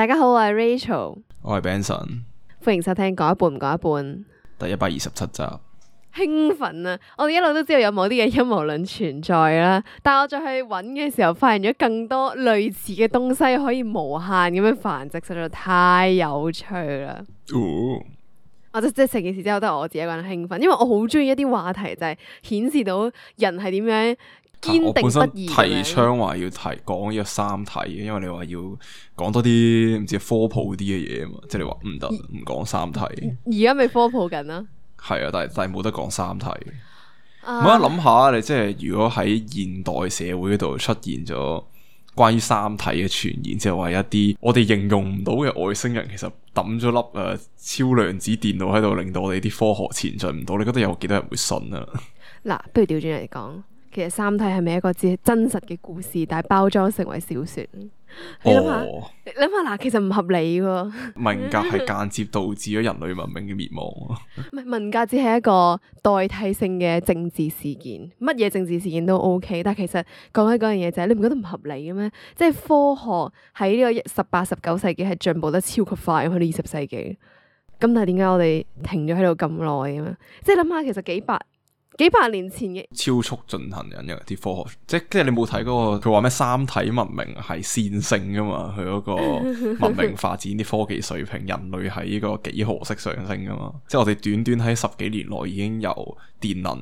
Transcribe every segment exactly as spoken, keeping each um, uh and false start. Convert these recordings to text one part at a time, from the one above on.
大家好，我係 Rachel，我係 Benson，歡迎收聽講一半唔講一半。第一百二十七集。興奮啊！我哋一路都知道有某啲嘅陰謀論存在啦，但係我再去揾嘅時候，發現咗更多類似嘅東西可以無限咁樣繁殖，實在太有趣啦！哦，我即即成件事之後都係我自己一個人興奮，因為我好中意一啲話題，就係顯示到人係點樣堅定不移。我本身提倡話要提講呢個三體嘅，因為你話要講多啲唔知科普啲嘅嘢啊嘛，即係你話唔得唔講三體。而家咪科普緊啦。係啊，但係但係冇得講三體。我一諗下，你即係如果喺現代社會嗰度出現咗關於三體嘅傳言，即係話一啲我哋形容唔到嘅外星人，其實抌咗粒誒、呃、超量子電腦喺度，令到我哋啲科學前進唔到。你覺得有幾多人會信啊？嗱，不如調轉嚟講，其實三體係咪一個只真實嘅故事，但係包裝成為小說？你諗下，哦、你諗下嗱，其實唔合理喎。文革係間接導致咗人類文明嘅滅亡。唔係，文革只係一個代替性嘅政治事件，乜嘢政治事件都 OK。但係其實講起嗰樣嘢就係，你唔覺得唔合理嘅咩？即係科學喺呢個十八、十九世紀係進步得超級快，去到二十世紀。咁但係點解我哋停咗喺度咁耐嘅咩？即係諗下，其實幾百幾百年前嘅超速進行緊嘅啲科學，即係即係你冇睇嗰個佢話咩三體文明係線性噶嘛？佢嗰個文明發展啲科技水平，人類係呢個幾何式上升噶嘛？即係我哋短短喺十幾年內已經由電能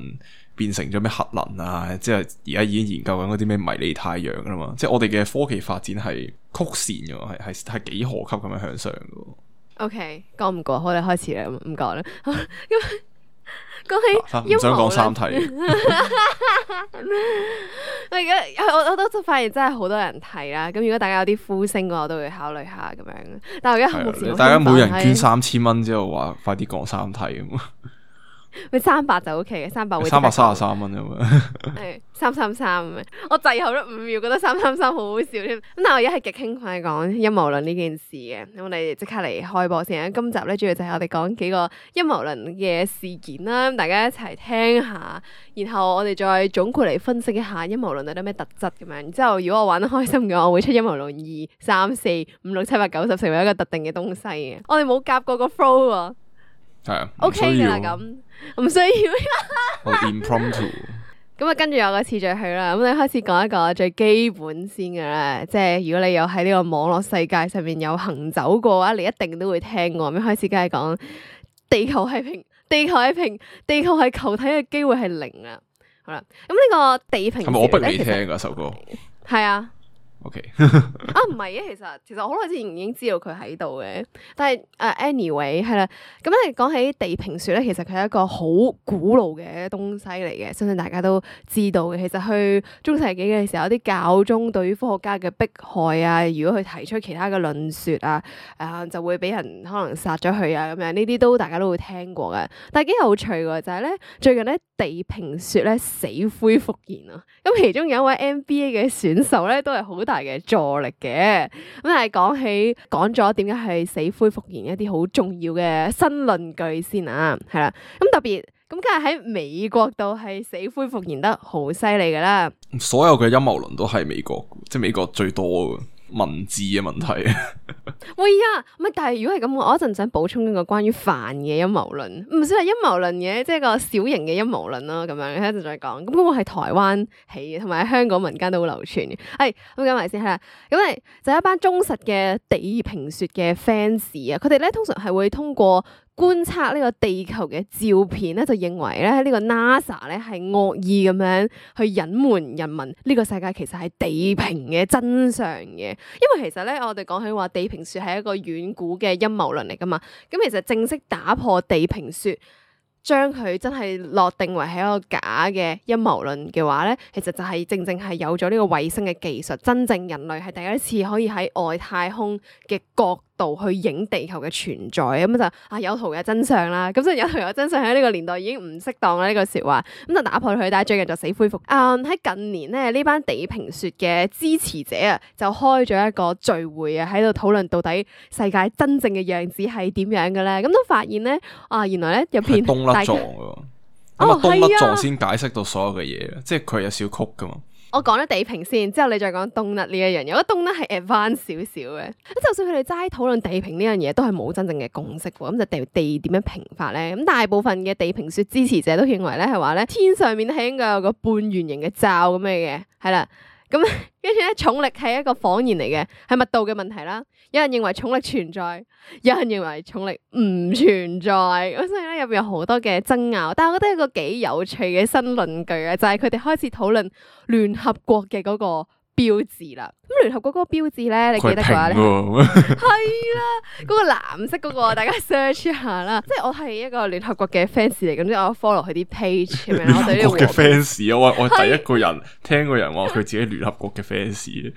變成咗咩核能啊！即係而家已經研究緊嗰啲咩迷你太陽噶啦嘛！即係我哋嘅科技發展係曲線嘅，係係係幾何級咁樣向上嘅。OK，講唔過，我哋開始啦，唔講啦。咁講起唔想講三體。我而家我我都發現真係好多人睇啦。咁如果大家有啲呼聲嘅話，我都會考慮下咁樣。但係而家目前大家每人捐三千蚊之後，話快啲講三體咁。咪三百就 OK 嘅，三百會三百三十三蚊咁樣。係三三三咁樣，我滯後咗五秒，覺得三三三好好笑添。咁但係我而家係極興奮講陰謀論呢件事嘅。咁我哋即刻嚟開播先。今集咧主要就係我哋講幾個陰謀論嘅事件啦，大家一齊聽下，然後我哋再總括嚟分析一下陰謀論有啲咩特質咁樣。然之後如果我玩得開心嘅話，我會出陰謀論二、三、四、五、六、七、八、九、十，成為一個特定嘅東西嘅。我哋冇夾過個 flow 喎。係啊，OK 嘅啦，咁唔需要。我 impromptu。咁啊，跟住有個次序去啦。咁你開始講一個最基本先嘅啦，即係如果你有喺呢個網絡世界上面有行走過嘅話，你一定都會聽過。咁開始梗係講地球係平，地球係平，地球係球體嘅機會係零啊。好啦，咁呢個地平說係咪我逼你其實聽噶首歌？係啊。O K 啊，唔係嘅，其實其實我好耐之前已經知道佢喺度嘅，但係誒、uh, anyway 係啦，咁你講起地平說咧，其實佢係一個好古老嘅東西嚟嘅，相信大家都知道嘅。其實去中世紀嘅時候，有啲教宗對於科學家嘅迫害啊，如果佢提出其他嘅論說啊，誒、呃、就會俾人可能殺咗佢啊咁樣，呢啲都大家都會聽過嘅。但係幾有趣嘅就係咧，最近咧地平說咧死灰復燃啊，咁其中有一位 N B A 嘅選手咧都係好大嘅助力嘅。咁但係講起講咗點解係死灰復燃一啲好重要嘅新論據先啊，係啦，咁特別咁梗係喺美國度係死灰復燃得好犀利噶啦。所有嘅陰謀論都係美國，即係美國最多嘅文字嘅問題。喂呀，唔係，但係如果係咁，我一陣想補充一個關於飯嘅陰謀論，唔算係陰謀論嘅，即係個小型嘅陰謀論咯，咁樣一陣再講。咁嗰個係台灣起嘅，同埋喺香港民間都好流傳嘅。係咁講埋先係啦，咁係就一班忠實嘅地平說嘅 fans 啊，佢哋咧通常係會通過觀察呢個地球嘅照片咧，就認為咧呢個 NASA 咧係惡意咁樣去隱瞞人民呢個世界其實係地平嘅真相嘅。因為其實咧我哋講起話地平說係一個遠古嘅陰謀論嚟噶嘛，咁其實正式打破地平說，將佢真係落定為係一個假嘅陰謀論嘅話咧，其實就係正正係有咗呢個衛星嘅技術，真正人類係第一次可以喺外太空嘅角度去影地球嘅存在，咁就啊有圖有真相啦。咁所以有圖有真相喺呢個年代已經唔適當啦，呢個說話咁就打破佢。但係最近就死灰復燃。喺、嗯、近年咧，呢班地平說嘅支持者啊，就開咗一個聚會啊，喺度討論到底世界真正嘅樣子係點樣嘅咧。咁都發現咧，啊原來咧入邊東甩撞嘅，咁啊東甩撞先解釋到所有嘅嘢，即係佢有少曲噶嘛。我講咗地平線，之後你再講冬甩呢一樣嘢，我覺得冬甩係 advance 少少嘅。咁就算佢哋齋討論地平呢樣嘢，都係冇真正嘅共識喎。咁就地地點樣平法咧？咁大部分嘅地平說支持者都認為咧係話咧，天上面係應該有個半圓形嘅罩咁嘅嘅，係啦。咁跟住咧，重力係一個謊言嚟嘅，係密度嘅問題啦。有人認為重力存在，有人認為重力唔存在。咁所以咧，入邊有好多嘅爭拗。但係我覺得一個幾有趣嘅新論據啊，就係佢哋開始討論聯合國嘅嗰個標誌啦。咁聯合國嗰個標誌咧，你記得嘅話咧，係啦，嗰個藍色嗰個，大家 search 一下啦。即係我係一個聯合國嘅 fans 嚟，咁即係我 follow 佢啲 page 咁樣。我對呢個嘅 fans，我我第一個人聽過人話佢自己聯合國嘅 fans。咩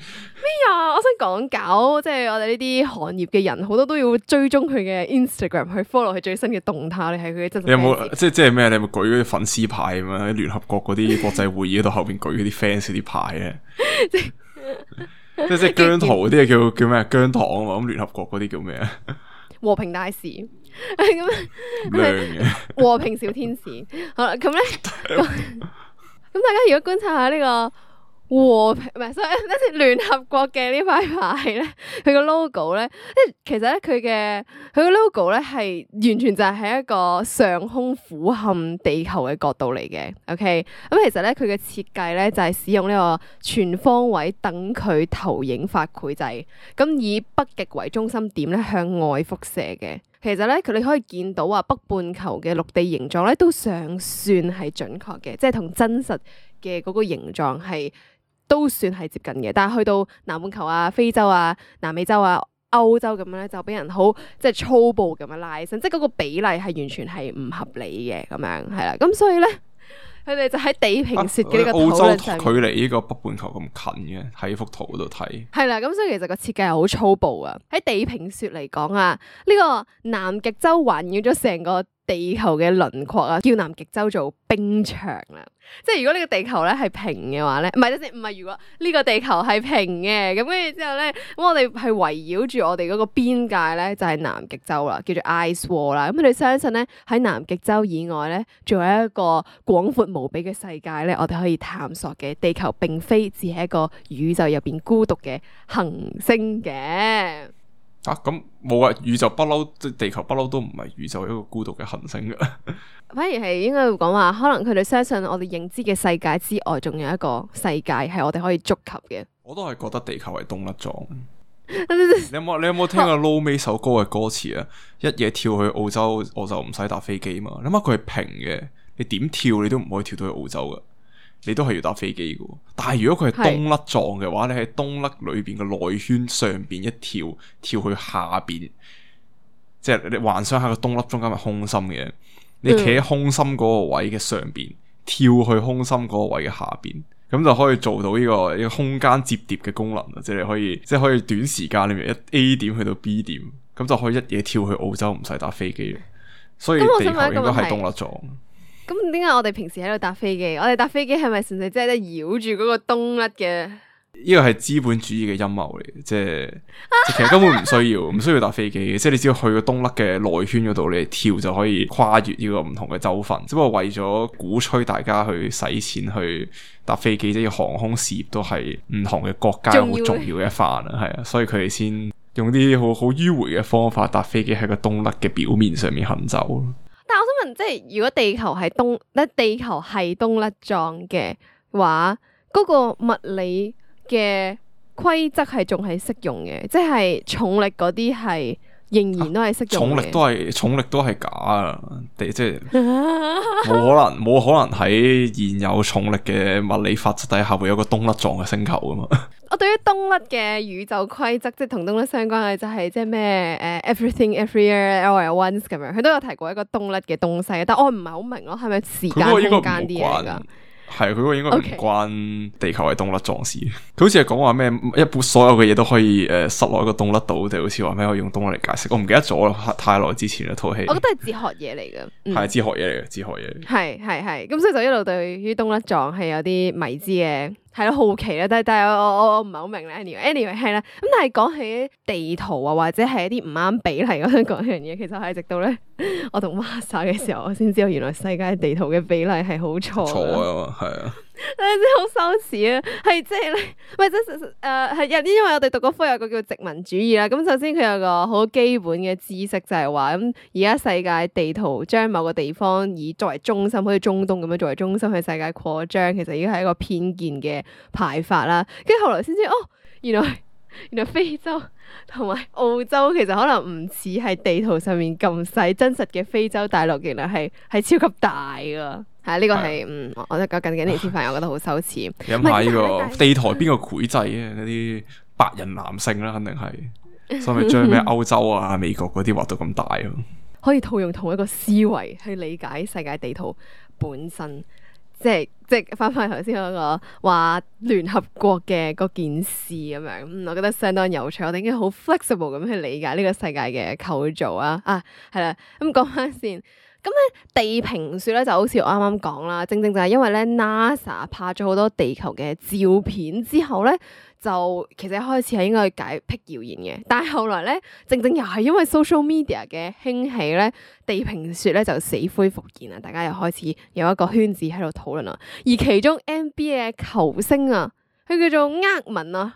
啊？我想講搞，即係我哋呢啲行業嘅人，好多都要追蹤佢嘅 Instagram 去 follow 佢最新嘅動態。你係佢嘅真實 fans。你有冇即係即係咩？你有冇舉嗰啲粉絲牌咁樣喺聯合國嗰啲國際會議嗰度後邊舉嗰啲 fans 嗰啲牌咧？即係即係即係姜濤嗰啲叫叫咩？姜糖啊嘛，咁聯合國嗰啲叫咩啊？和平大使咁樣，和平小天使。好啦，咁咧，咁大家如果觀察下呢個和平唔係，所以一啲聯合國嘅呢塊牌咧，佢個 logo 咧，即係其實咧佢嘅佢個 logo 咧係完全就係喺一個上空俯瞰地球嘅角度嚟嘅。OK，咁其實咧佢嘅設計咧就係使用呢個全方位等距投影法繪製，咁以北極為中心點咧向外輻射嘅。其實咧，佢你可以見到話北半球嘅陸地形狀咧都尚算係準確嘅，即係同真實嘅嗰個形狀係都算係接近嘅。但係去到南半球啊、非洲啊、南美洲啊、歐洲咁樣咧，就俾人好即係粗暴咁樣拉伸，即係嗰個比例係完全係唔合理嘅咁樣，係啦。咁所以咧，佢哋就喺地平說嘅呢個討論上面，澳洲距離呢個北半球咁近嘅，喺幅圖嗰度睇。係啦，咁所以其實個設計係好粗暴啊。喺地平說嚟講啊，呢個南極洲環繞咗成個地球嘅輪廓啊，叫南極洲做冰牆啦。即係如果呢個地球咧係平嘅話咧，唔係，即係唔係如果呢個地球係平嘅，咁跟住之後咧，咁我哋係圍繞住我哋嗰個邊界咧，就係南極洲啦，叫做 Ice Wall 啦。咁佢哋相信咧，喺南極洲以外咧，仲有一個廣闊無比嘅世界咧，我哋可以探索嘅。地球並非只係一個宇宙入邊孤獨嘅行星嘅。啊，咁冇啊！宇宙不嬲，即係地球不嬲都唔係宇宙一個孤獨嘅行星噶。反而係應該會講話，可能佢哋相信我哋認知嘅世界之外，仲有一個世界係我哋可以觸及嘅。我都係覺得地球係冬甩狀。你有冇你有冇聽過 Low 尾首歌嘅歌詞啊？一夜跳去澳洲，我就唔使搭飛機嘛。諗下佢係平嘅，你點跳你都唔可以跳到去澳洲噶。你都係要搭飛機嘅，但係如果佢係冬甩狀嘅話，是你喺冬甩裏邊嘅內圈上邊一跳，跳去下邊，即係你幻想下個冬甩中間係空心嘅，你企喺空心嗰個位嘅上邊，嗯、跳去空心嗰個位嘅下邊，咁就可以做到呢、這個一個空間摺疊嘅功能啊！即係你可以，即係可以短時間裏面一 A 點去到 B 點，咁就可以一嘢跳去澳洲，唔使搭飛機。所以地球應該係冬甩狀。咁點解我哋平時喺度搭飛機？我哋搭飛機係咪純粹即係繞住嗰個冬甩嘅？呢個係資本主義嘅陰謀嚟，即係其實根本唔需要，唔需要搭飛機嘅，即係你只要去個冬甩嘅內圈嗰度，你跳就可以跨越呢個唔同嘅州份。只不過為咗鼓吹大家去使錢去搭飛機，即係航空事業都係唔同嘅國家好重要嘅一環啊，係啊，所以佢哋先用啲好好迂迴嘅方法搭飛機喺個冬甩嘅表面上面行走。但我想問，即係如果地球係冬，咧地球係冬甩狀嘅話，嗰個物理嘅規則係仲係適用嘅，即係重力嗰啲係仍然都係適用嘅。重力都係重力都係假啊！即係冇可能冇可能喺現有重力嘅物理法則底下會有個冬甩狀嘅星球啊嘛！我對於冬甩嘅宇宙規則，即係同冬甩相關嘅就係即係咩誒 everything everywhere all at once 咁樣，佢都有提過一個冬甩嘅東西，但我唔係好明咯，係咪時間空間啲嘢噶？係佢嗰個應該唔關地球係冬甩狀事，佢好似係講話咩一般所有嘅嘢都可以誒塞落一個冬甩度，定好似話咩可以用冬甩嚟解釋，我唔記得咗啦，太耐之前一套戲。我覺得係哲學嘢嚟嘅，係、嗯、哲學嘢嚟嘅，哲學嘢。係係係，咁所以就一路對於冬甩狀係有啲迷之嘅，係咯好奇啦，但係但係我我我唔係好明咧。anyway，anyway 係啦，咁但係講起地圖啊，或者係一啲唔啱比例，我想講一樣嘢，其實係直到咧我讀 master 嘅時候，我先知道原來世界地圖嘅比例係好錯㗎。錯啊，係啊，真係好羞恥啊！係即係咧，唔係即係誒係有啲，因為我哋讀嗰科有個叫殖民主義啦。咁首先佢有個好基本嘅知識就係話，咁而家世界地圖將某個地方以作為中心，好似中東咁樣作為中心去世界擴張，其實已經係一個偏見嘅排法啦。跟住後來先知哦，原來原來非洲同埋澳洲其實可能唔似係地圖上面咁細，真實嘅非洲大陸原來係係超級大噶。係呢個係嗯，我覺得近幾年先發現，我覺得好羞恥。你諗下呢個地台邊個繪製嘅嗰啲白人男性啦，肯定係，所以咪將咩歐洲啊、美國嗰啲畫到咁大咯。可以套用同一個思維去理解世界地圖本身，即係即係翻返頭先嗰個話聯合國嘅嗰件事咁樣，嗯，我覺得相當有趣。我哋已經好 flexible 咁去理解呢個世界嘅構造啊！啊，係啦，咁講翻先。咁咧地平說咧就好似我啱啱講啦，正正就係因為咧 NASA 拍咗好多地球嘅照片之後咧，就其實一開始係應該去解辟謠言嘅，但係後來咧正正又係因為 social media 嘅興起咧，地平說咧就死灰復燃啦，大家又開始有一個圈子喺度討論啦，而其中 N B A 嘅球星啊，佢叫做厄文啊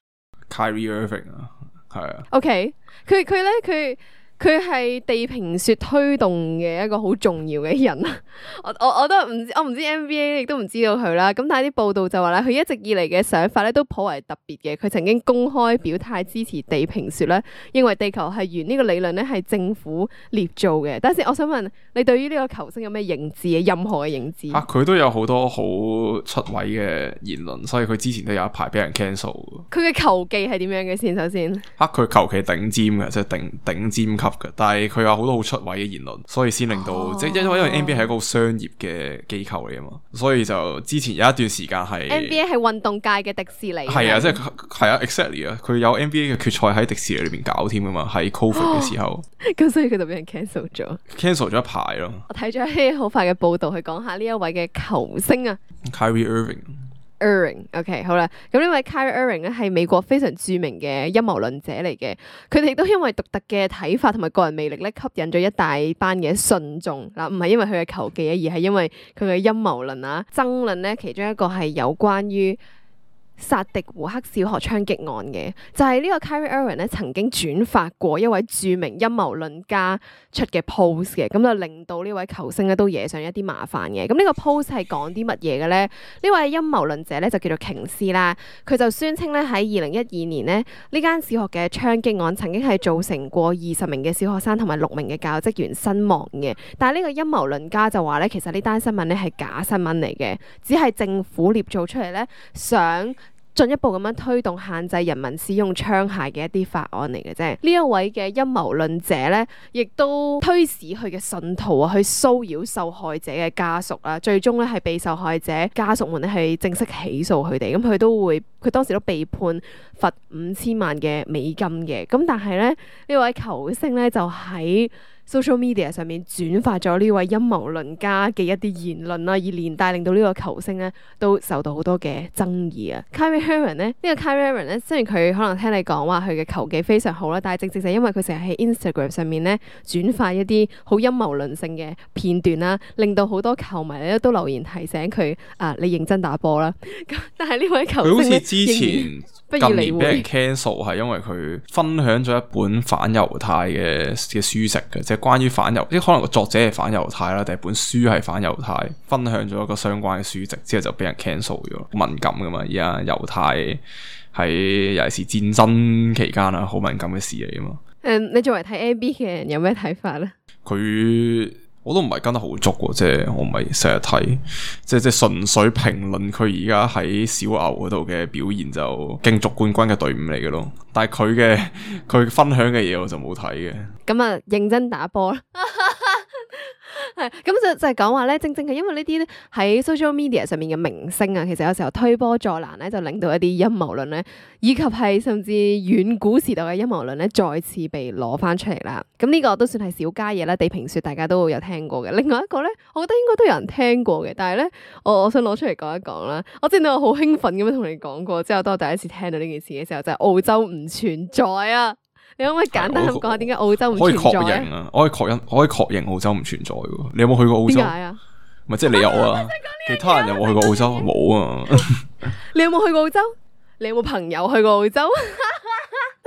Kyrie Irving 啊，係啊 ，OK，佢佢咧佢。佢係地平說推動嘅一個好重要嘅人啊！我我我都唔知，我唔知 N B A 亦都唔知道佢啦。咁但係啲報道就話咧，佢一直以嚟嘅想法咧都頗為特別嘅。佢曾經公開表態支持地平說咧，認為地球係圓呢個理論咧係政府捏造嘅。但係我想問你對於呢個球星有咩認知嘅？任何嘅認知？啊，佢都有好多好出位嘅言論，所以佢之前都有一排俾人 cancel。佢嘅球技係點樣嘅先？首先，啊，佢球技頂尖嘅，即係頂頂尖級嘅，但係佢有好多好出位嘅言論，所以先令到、哦、即係因為因為 N B A 係一個商業嘅機構嚟啊嘛，所以就之前有一段時間係 N B A 係運動界嘅迪士尼，係啊，即係係啊 exactly 啊，佢有 N B A 嘅決賽喺迪士尼裏邊搞添噶嘛，喺 Covid 嘅時候，咁、哦、所以佢就俾人 cancel 咗，cancel 咗一排咯。我睇咗一啲好快嘅報道，去講下呢一位嘅球星啊 ，Kyrie Irving。Irving，OK，、okay， 好啦，咁呢位 Kyrie Irving 咧係美國非常著名嘅陰謀論者嚟嘅，佢哋都因為獨特嘅睇法同埋個人魅力咧，吸引咗一大班嘅信眾嗱，唔係因為佢嘅球技啊，而係因為佢嘅陰謀論啊，爭論咧，其中一個係有關於薩迪胡克小學槍擊案嘅，就係、是、呢個 Kyrie Irving 咧曾經轉發過一位著名陰謀論家出嘅 post 嘅，咁就令到呢位球星咧都惹上一啲麻煩嘅。咁呢個 post 係講啲乜嘢嘅咧？呢位陰謀論者咧就叫做瓊斯啦，佢就宣稱咧喺二零一二年咧呢間小學嘅槍擊案曾經係造成過二十名嘅小學生同埋六名嘅教職員身亡嘅。但係呢個陰謀論家就話咧，其實呢單新聞咧係假新聞嚟嘅，只係政府捏造出嚟咧，想進一步咁樣推動限制人民使用槍械嘅一啲法案嚟嘅啫。呢一位嘅陰謀論者咧，亦都推使佢嘅信徒啊，去騷擾受害者嘅家屬啦。最終咧係被受害者家屬們咧係正式起訴佢哋。咁佢都會，佢當時都被判罰五千萬嘅美金嘅。咁但係咧，呢位球星咧就喺social media 上面轉發咗呢位陰謀論家嘅一啲言論啦，而連帶令到呢個球星咧都受到好多嘅爭議啊。Kyrie Irving 咧，呢個 Kyrie Irving 咧，雖然佢可能聽你講話佢嘅球技非常好啦，但係正正就係因為佢成日喺 Instagram 上面咧轉發一啲好陰謀論性嘅片段啦，令到好多球迷咧都留言提醒佢啊，你認真打波啦。咁但係呢位球星佢好似之前近年俾人不 cancel 係因為佢分享咗一本反猶太嘅嘅書籍嘅，即係關於反猶，即可能個作者係反猶太啦，定係本書係反猶太，分享咗一個相關嘅書籍之後就俾人 cancel 咗，敏感噶嘛，而家猶太喺尤其是戰爭期間啊，好敏感嘅事嚟噶嘛。誒、嗯，你作為睇 N B A 嘅人有咩睇法咧？佢我都唔係跟得好足喎，即係我唔係成日睇，即係即係純粹評論佢而家喺小牛嗰度嘅表現就競逐冠軍嘅隊伍嚟嘅咯。但係佢嘅佢分享嘅嘢我就冇睇嘅。咁啊，認真打波啦。係咁就就係講話咧，正正係因為呢啲喺 social media 上面嘅明星啊，其實有時候推波助瀾咧，就令到一啲陰謀論咧，以及係甚至遠古時代嘅陰謀論咧，再次被攞翻出嚟啦。咁呢個都算係小家嘢啦，地平說大家都會有聽過嘅。另外一個咧，我覺得應該都有人聽過嘅，但係咧，我我想攞出嚟講一講啦。我之前我好興奮咁樣同你講過，之後當我第一次聽到呢件事嘅時候，就係澳洲唔存在啊。你可唔可以簡單咁講下點解澳洲唔可以確存在認啊？我可以確認，我可以確認澳洲唔存在嘅。你有冇去過澳洲？點解啊？咪即係你有啊？其他人有冇去過澳洲？冇啊！你有冇去過澳洲？你有冇朋友去過澳洲？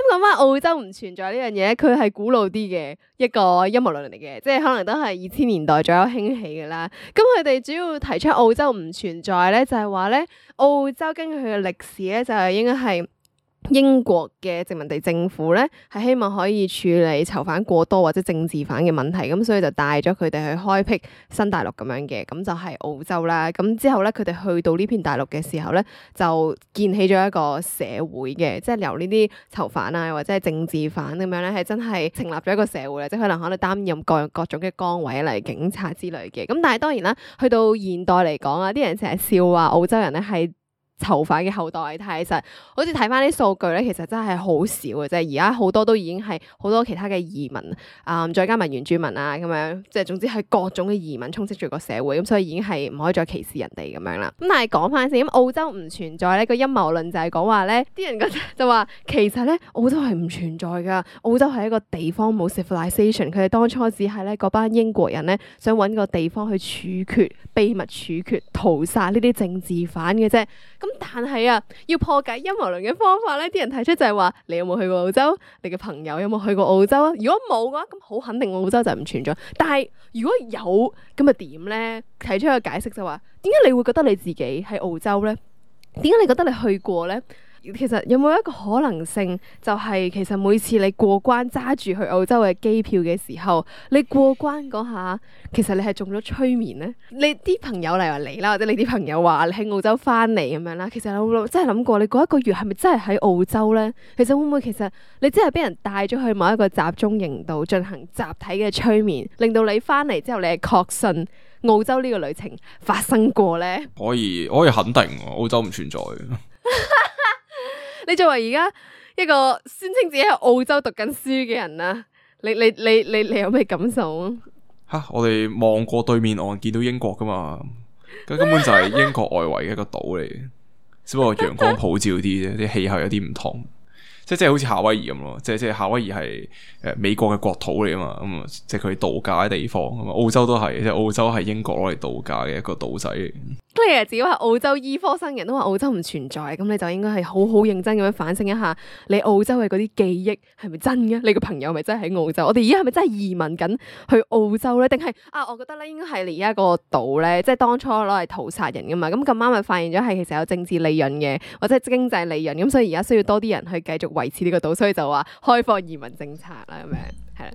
咁講翻澳洲唔存在呢樣嘢，佢係古老啲嘅一個陰謀論嚟嘅，即係可能都係二千年代左右興起嘅啦。咁佢哋主要提出澳洲唔存在咧，就係話咧澳洲根據佢嘅歷史咧，就係應該係英國嘅殖民地政府咧，係希望可以處理囚犯過多或者政治犯嘅問題，咁所以就帶咗佢哋去開闢新大陸咁樣嘅，咁就係澳洲啦。咁之後咧，佢哋去到呢片大陸嘅時候咧，就建起咗一個社會嘅，即係由呢啲囚犯啊或者係政治犯咁樣咧，係真係成立咗一個社會啦，即係可能可能擔任各各種嘅崗位嚟警察之類嘅。咁但係當然啦，去到現代嚟講啊，啲人成日笑話澳洲人咧係囚犯嘅後代，但係其實好似睇翻啲數據咧，其實真係好少嘅啫。而家好多都已經係好多其他嘅移民啊、嗯，再加埋原住民啊咁樣，即係總之係各種嘅移民充斥住個社會，咁所以已經係唔可以再歧視人哋咁樣啦。咁但係講翻先，咁澳洲唔存在咧，個陰謀論就係講話咧，啲人覺得就話其實咧澳洲係唔存在噶，澳洲係一個地方冇 civilization， 佢哋當初只係咧嗰班英國人咧想揾個地方去處決、秘密處決、屠殺呢啲政治犯嘅啫。咁但係啊，要破解陰謀論嘅方法咧，啲人提出就係話，你有冇去過澳洲？你嘅朋友有冇去過澳洲啊？如果冇嘅話，咁好肯定澳洲就唔存在。但係如果有，咁咪點咧？提出一個解釋就話，點解你會覺得你自己喺澳洲咧？點解你覺得你去過咧？其實有冇一個可能性，就係其實每次你過關揸住去澳洲嘅機票嘅時候，你過關嗰下，其實你係中咗催眠咧？你啲朋友嚟話你啦，或者你啲朋友話你喺澳洲翻嚟咁樣啦，其實有冇真係諗過你嗰一個月係咪真係喺澳洲咧？其實會唔會其實你真係俾人帶咗去某一個集中營度進行集體嘅催眠，令到你翻嚟之後你係確信澳洲呢個旅程發生過咧？可以可以肯定澳洲唔存在。你作為而家一個宣稱自己喺澳洲讀緊書嘅人啊，你你你你你有咩感受啊？吓，我哋望過對面岸見到英國噶嘛，咁根本就係英國外圍嘅一個島嚟嘅，只不過陽光普照啲啫，啲氣候有啲唔同。即係即係好似夏威夷咁咯，即係即係夏威夷係誒美國嘅國土嚟啊嘛，咁啊即係佢度假嘅地方啊嘛，澳洲都係，即係澳洲係英國攞嚟度假嘅一個島仔嚟。咁你自己話澳洲醫科生人都話澳洲唔存在，咁你就應該係好好認真咁樣反省一下，你澳洲嘅嗰啲記憶係咪真嘅？你個朋友係咪真係喺澳洲？我哋而家係咪真係移民緊去澳洲咧？定係啊？我覺得咧應該係你而家個島咧，即係當初攞嚟屠殺人噶嘛，咁咁啱咪發現咗係其實有政治利潤嘅，或者係經濟利潤，咁所以而家需要多啲人去繼續維持呢個島，所以就話開放移民政策啦，咁樣係啦，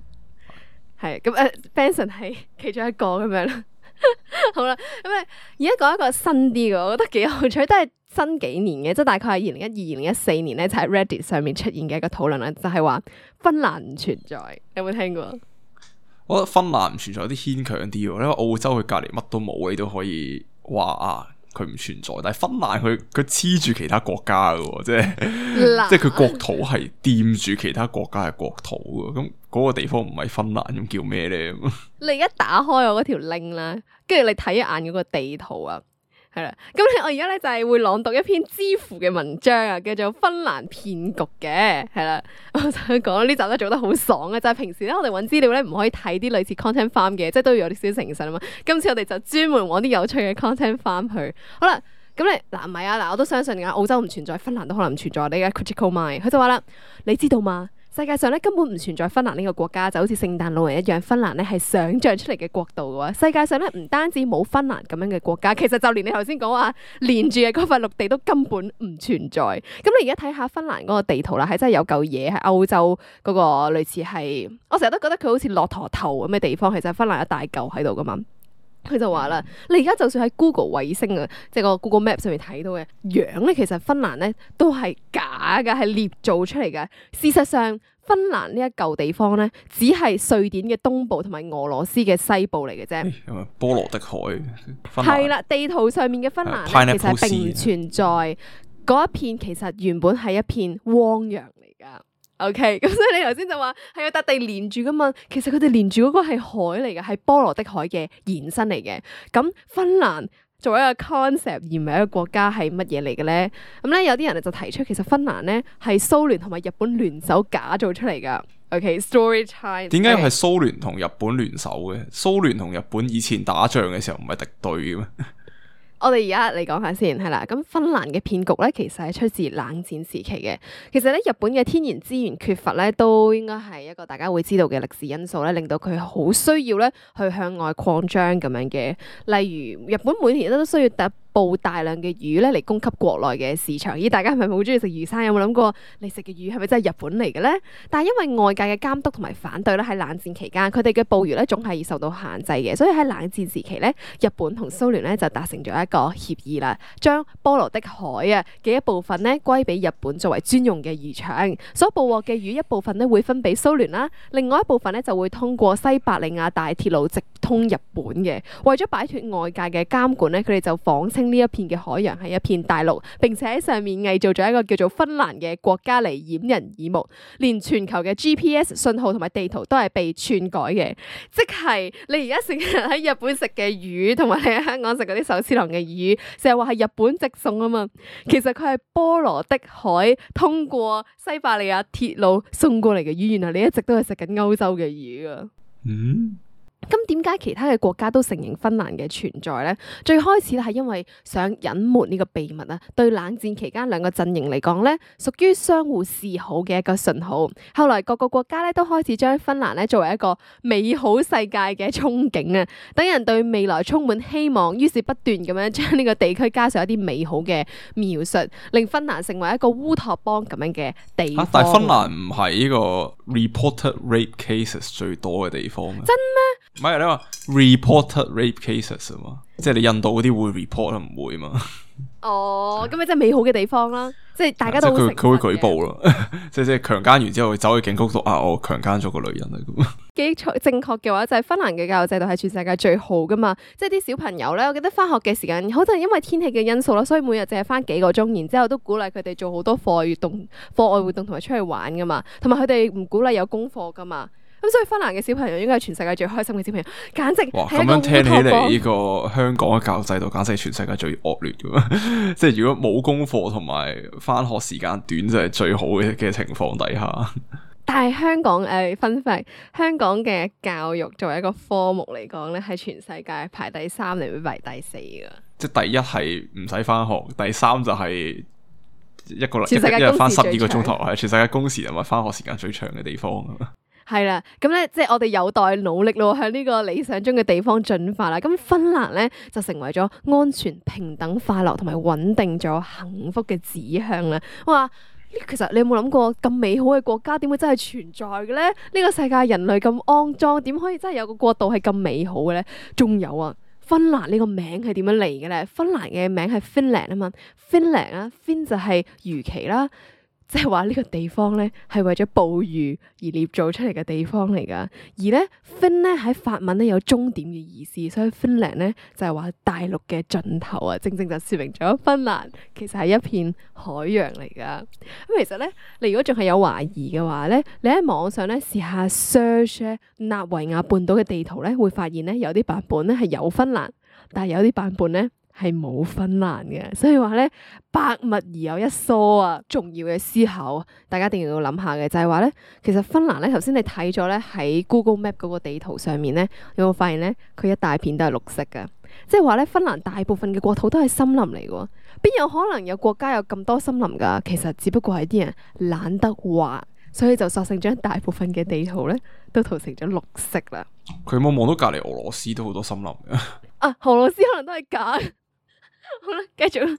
係咁誒 Benson 係其中一個咁樣啦。好啦，咁啊，而家講一個新啲嘅，我覺得幾有趣，都係新幾年嘅，即係大概係二零一二、二零一四年咧，就喺 Reddit 上面出現嘅一個討論啦，就係話芬蘭唔存在，有冇聽過？我覺得芬蘭唔存在有啲牽強啲，因為澳洲佢隔籬乜都冇，你都可以話啊佢唔存在，但係芬蘭佢佢黐住其他國家嘅，即係即係佢國土係掂住其他國家嘅國土嘅，咁嗰個地方唔係芬蘭咁叫咩咧？你而家打開我嗰條 link 啦，跟住你睇一眼嗰個地圖啊，係啦，咁我而家咧就係會朗讀一篇知乎嘅文章啊，叫做《芬蘭騙局》嘅，係啦，我想講呢集都做得好爽啊！就係平時咧我哋揾資料咧唔可以睇啲類似 content farm 嘅，即係都要有啲少誠實啊嘛。今次我哋就專門揾啲有趣嘅 content farm 去。好啦，咁你嗱唔係啊嗱，我都相信噶，澳洲唔存在，芬蘭都可能唔存在。你嘅 critical mind，佢就話啦，你知道嗎？世界上咧根本唔存在芬蘭呢個國家，就好似聖誕老人一樣，芬蘭咧係想像出嚟嘅國度嘅喎。世界上咧唔單止冇芬蘭咁樣嘅國家，其實就連你頭先講話連住嘅嗰塊陸地都根本唔存在。咁你而家睇下芬蘭嗰個地圖啦，係真係有嚿嘢喺歐洲嗰個類似係，我成日都覺得佢好似駱駝頭咁嘅地方，其實芬蘭一大嚿喺度噶嘛。佢就話啦，你而家就算喺 Google 衛星啊，即係個 Google Map 上面睇到嘅樣咧，其實芬蘭咧都係假嘅，係捏造出嚟嘅。事實上，芬蘭呢一嚿地方咧，只係瑞典嘅東部同埋俄羅斯嘅西部嚟嘅啫。波羅的海係啦，地圖上面嘅芬蘭咧，其實並唔存在。嗰一片其實原本係一片汪洋嚟噶。OK，咁所以你頭先就話係有笪地連住噶嘛，其實佢哋連住嗰個係海嚟嘅，係波羅的海嘅延伸嚟嘅。咁芬蘭作為一個 concept 而唔係一個國家係乜嘢嚟嘅咧？咁咧有啲人就提出，其實芬蘭咧係蘇聯同埋日本聯手假造出嚟噶。OK，story time。點解係蘇聯同日本聯手嘅？蘇聯同日本以前打仗嘅時候唔係敵對嘅咩？我哋而家嚟講下先，係啦。咁芬蘭嘅騙局咧，其實係出自冷戰時期嘅。其實咧，日本嘅天然資源缺乏咧，都應該係一個大家會知道嘅歷史因素咧，令到佢好需要咧去向外擴張咁樣嘅。例如，日本每年都需要特捕大量嘅魚咧嚟供給國內嘅市場。咦，大家係咪好中意食魚生？有冇諗過你食嘅魚係咪真係日本嚟嘅咧？但係因為外界嘅監督同埋反對咧，喺冷戰期間，佢哋嘅捕魚咧總係受到限制嘅。所以喺冷戰時期咧，日本同蘇聯咧就達成咗一個協議啦，將波羅的海啊嘅一部分咧歸俾日本作為專用嘅漁場，所捕獲嘅魚一部分咧會分俾蘇聯啦，另外一部分咧就會通過西伯利亞大鐵路直通日本嘅。為咗擺脫外界嘅監管咧，佢哋就謊稱呢一片嘅海洋係一片大陸，並且喺上面偽造咗一個叫做芬蘭嘅國家嚟掩人耳目，連全球嘅 G P S 信號同埋地圖都係被篡改嘅。即係你而家成日喺日本食嘅魚，同埋你喺香港食嗰啲壽司郎嘅魚，成日話係日本直送啊嘛，其實佢係波羅的海通過西伯利亞鐵路送過嚟嘅魚，原來你一直都係食緊歐洲嘅魚啊。嗯。咁點解其他嘅國家都承認芬蘭嘅存在呢？最開始咧係因為想隱瞞呢個秘密啊，對冷戰期間兩個陣營嚟講咧，屬於相互示好嘅一個信號。後來各個國家咧都開始將芬蘭咧作為一個美好世界嘅憧憬啊，等人對未來充滿希望，於是不斷咁樣將呢個地區加上一啲美好嘅描述，令芬蘭成為一個烏托邦咁樣嘅地方。啊、但係芬蘭唔係呢個 reported rape cases 最多嘅地方咩？真咩？唔係你話 reported rape cases 啊嘛，即係你印度嗰啲會 report 唔會嘛？哦，咁咪即係美好嘅地方啦，即係大家都佢佢會舉報咯，即係即係強姦完之後走去警局度啊，我強姦咗個女人啊咁。幾正確嘅話就係芬蘭嘅教育制度係全世界最好噶嘛，即係啲小朋友咧，我記得翻學嘅時間，好似因為天氣嘅因素啦，所以每日淨係翻幾個鐘，然之後都鼓勵佢哋做好多課外活動、課外活動同埋出去玩噶嘛，同埋佢哋唔鼓勵有功課噶嘛。咁所以芬蘭嘅小朋友應該係全世界最開心嘅小朋友，簡直哇！咁樣聽起嚟，呢個香港嘅教育制度簡直係全世界最惡劣嘅，即係如果冇功課同埋翻學時間短就係最好嘅嘅情況底下。但係香港誒分法，香港嘅教育作為一個科目嚟講咧，係全世界排第三定排第四噶。即係第一係唔使翻學，第三就係一個全世界一日翻十二個鐘頭，係全世界工時同埋翻學時間最長嘅地方。係啦，咁咧即係我哋有待努力咯，向呢個理想中嘅地方進發啦。咁芬蘭咧就成為咗安全、平等、快樂同埋穩定咗幸福嘅指向啦。哇！其實你有冇諗過咁美好嘅國家點會真係存在嘅咧？呢個世界人類咁骯髒，點可以真係有個國度係咁美好嘅咧？仲有啊，芬蘭呢個名係點樣嚟嘅咧？芬蘭嘅名係 Finland 啊嘛 ，Finland 啊 ，Fin 就係魚鰭啦。即係話呢個地方咧係為咗捕魚而捏造出嚟嘅地方嚟噶，而咧 Fin 咧喺法文咧有終點嘅意思，所以 Finland 咧就係話大陸嘅盡頭啊，正正就說明咗芬蘭其實係一片海洋嚟噶。咁其實咧，你如果仲係有懷疑嘅話咧，你喺網上咧試下 search 納維亞半島嘅地圖咧，會發現咧有啲版本咧係有芬蘭，但係有啲版本咧係冇芬蘭嘅，所以話咧百物而有一疏啊！重要嘅思考，大家一定要諗下嘅就係話咧，其實芬蘭咧頭先你睇咗咧喺 Google Map 嗰個地圖上面咧，有冇發現咧佢一大片都係綠色嘅？即係話咧芬蘭大部分嘅國土都係森林嚟嘅，邊有可能有國家有咁多森林噶？其實只不過係啲人懶得畫，所以就索性將大部分嘅地圖咧都塗成咗綠色啦。佢有冇望到隔籬俄羅斯都好多森林嘅？啊，俄羅斯可能都係假。好啦，繼續啦。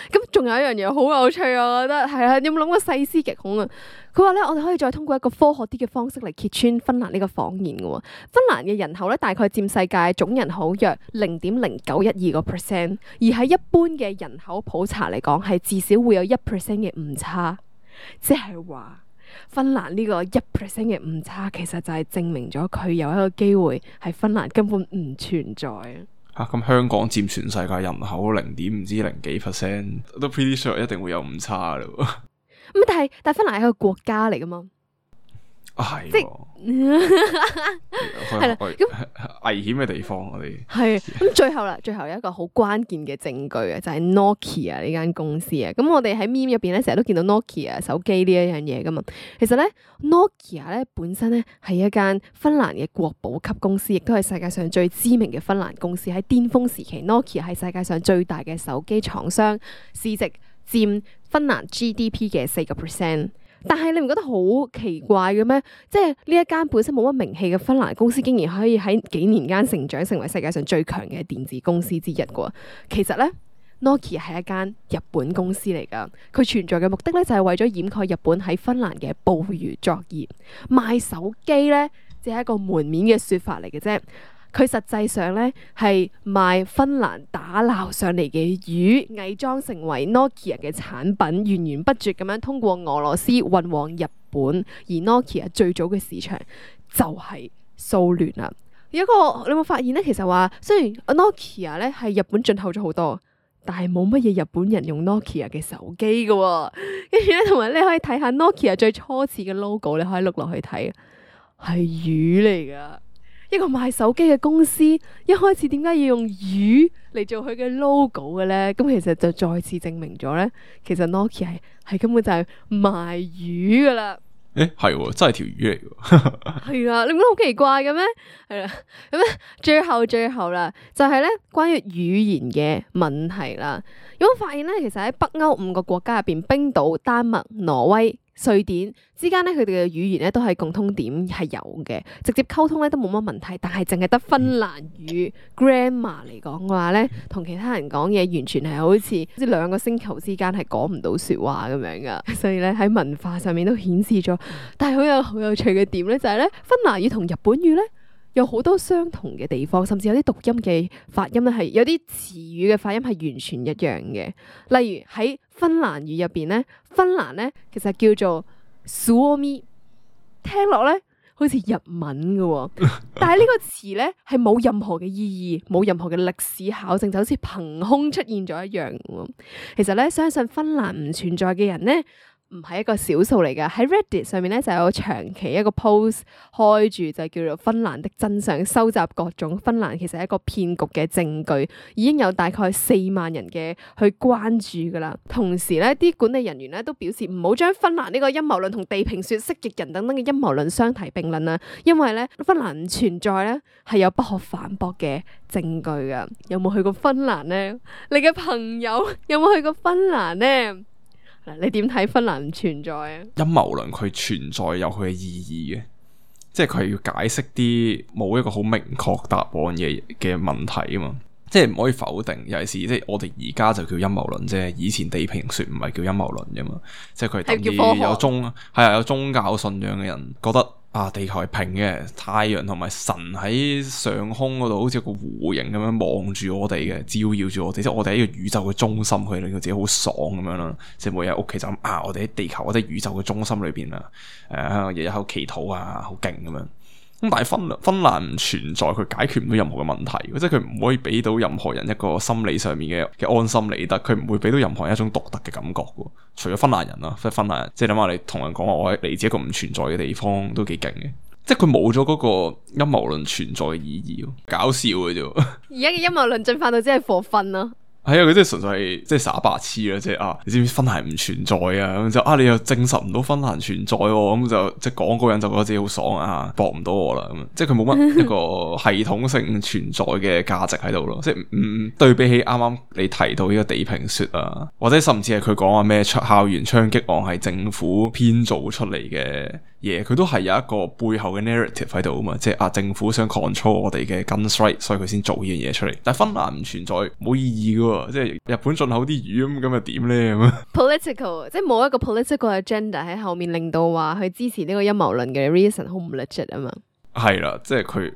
咁仲有一樣嘢好有趣啊，我覺得係啊。你有冇諗過細思極恐啊？佢話咧，我哋可以再通過一個科學啲嘅方式嚟揭穿芬蘭呢個謊言嘅。芬蘭嘅人口咧，大概佔世界總人口約零點零九一二個 percent，而喺一般嘅人口普查嚟講，係至少會有一 percent 嘅誤差，即係話芬蘭呢個一 percent 嘅誤差，其實就係證明咗佢有一個機會係芬蘭根本唔存在啊。吓，咁香港佔全世界人口零點唔知零幾 percent，都 pretty sure 一定會有誤差咯。咁但係但係芬蘭係一個國家嚟噶嘛？啊係即喎，係啦咁危險嘅地方我哋係咁最後啦，最後有一個好關鍵嘅證據啊，就係 Nokia 呢間公司啊。咁我哋喺 meme 入邊咧，成日都見到 Nokia 手機呢一樣嘢噶嘛。其實咧 Nokia 咧本身咧係一間芬蘭嘅國寶級公司，亦都係世界上最知名嘅芬蘭公司。喺巔峰時期 Nokia 係世界上最大嘅手機廠商，市值佔芬蘭 G D P 嘅四個 percent。但係你唔覺得好奇怪嘅咩？即係呢一間本身冇乜名氣嘅芬蘭公司，竟然可以喺幾年間成長成為世界上最強嘅電子公司之一嘅。其實咧 Nokia 係一間日本公司嚟噶，佢存在嘅目的咧就係為咗掩蓋日本喺芬蘭嘅捕魚作業。賣手機咧只係一個門面嘅說法嚟嘅啫。佢實際上咧係賣芬蘭打撈上嚟嘅魚，偽裝成為 Nokia 嘅產品，源源不絕咁樣通過俄羅斯運往日本。而 Nokia 最早嘅市場就係蘇聯啦。有一個你有冇發現咧？其實話雖然 Nokia 咧係日本進口咗好多，但係冇乜嘢日本人用 Nokia 嘅手機噶、哦。跟住咧，同埋你可以睇下 Nokia 最初始嘅 logo，你可以碌落去睇，係魚嚟噶。一個賣手機嘅公司，一開始點解要用魚嚟做佢嘅 logo 嘅咧？咁其實就再次證明咗咧，其實 Nokia 係係根本就係賣魚噶啦。誒係真係條魚嚟嘅，係啊，你唔覺得好奇怪嘅咩？係啦，咁咧最後最後啦，就係咧關於語言嘅問題啦。有冇發現咧？其實喺北歐五個國家入邊，冰島、丹麥、挪威、瑞典之間咧，佢哋嘅語言咧都係共通點係有嘅，直接溝通咧都冇乜問題。但係淨係得芬蘭語 grammar 嚟講嘅話咧，同其他人講嘢完全係好似好似兩個星球之間係講唔到說話咁樣噶。所以咧喺文化上面都顯示咗，但係好有好有趣嘅點咧就係咧，芬蘭語同日本語咧有好多相同嘅地方，甚至有啲讀音嘅發音咧係有啲詞語嘅發音係完全一樣嘅。例如喺芬蘭語入邊咧，芬蘭咧其實叫做 Suomi， 聽落咧好似日文嘅，但係呢個詞咧係冇任何嘅意義，冇任何嘅歷史考證，就好似憑空出現咗一樣。其實咧，相信芬蘭唔存在嘅人咧，唔係一個少數嚟噶。喺 Reddit 上面咧就有長期一個 post 開住，就叫做芬蘭的真相，收集各種芬蘭其實係一個騙局嘅證據，已經有大概四萬人嘅去關注噶啦。同時咧，啲管理人員咧都表示唔好將芬蘭呢個陰謀論同地平說、蜥蜴人等等嘅陰謀論相提並論啊，因為咧芬蘭唔存在咧係有不可反駁嘅證據噶。有冇去過芬蘭咧？你嘅朋友有冇去過芬蘭咧？你點睇芬蘭唔存在啊？陰謀論佢存在有佢嘅意義嘅，即係佢係要解釋啲冇一個好明確答案嘅嘅問題啊嘛，即係唔可以否定。尤其是即係我哋而家就叫陰謀論啫，以前地平說唔係叫陰謀論啫嘛，即係佢係等於有宗係啊有宗教信仰嘅人覺得啊地球係平嘅，太陽同埋神喺上空嗰度好似個弧形咁樣望住我哋嘅，照耀住我哋，即係我哋喺個宇宙嘅中心，佢令到自己好爽咁樣啦。即係每日喺屋企就咁啊，我哋喺地球，我哋宇宙嘅中心裏邊啊，誒日日喺度祈禱啊，好勁咁樣。咁但係芬蘭芬蘭唔存在，佢解決唔到任何嘅問題，即係佢唔可以俾到任何人一個心理上面嘅嘅安心理得，佢唔會俾到任何人一種獨特嘅感覺嘅。除咗芬蘭人啦，即係芬蘭人，即係諗下你同人講話我嚟自一個唔存在嘅地方，都幾勁嘅。即係佢冇咗嗰個陰謀論存在嘅意義，搞笑嘅啫。而家嘅陰謀論進化到只係 for fun 咯。係啊，佢即係純粹係即係耍白痴啦，即係啊，你知唔知芬蘭唔存在啊？咁就啊，你又證實唔到芬蘭存在，咁就即係講嗰個人就覺得自己好爽啊，駁唔到我啦，咁即係佢冇乜一個系統性存在嘅價值喺度咯。即係唔對比起啱啱你提到呢個地平說啊，或者甚至係佢講話咩校園槍擊案係政府編造出嚟嘅嘢，佢都係有一個背後嘅 narrative 喺度啊嘛，即係啊政府想 control 我哋嘅 gun strike，所以佢先做呢樣嘢出嚟。但係芬蘭唔存在，冇意義噶。即係日本進口啲魚咁，咁又點咧？咁 political 即係冇一個 political agenda 喺後面，令到話去支持呢個陰謀論嘅 reason 好唔 legit 啊嘛。係啦，即係佢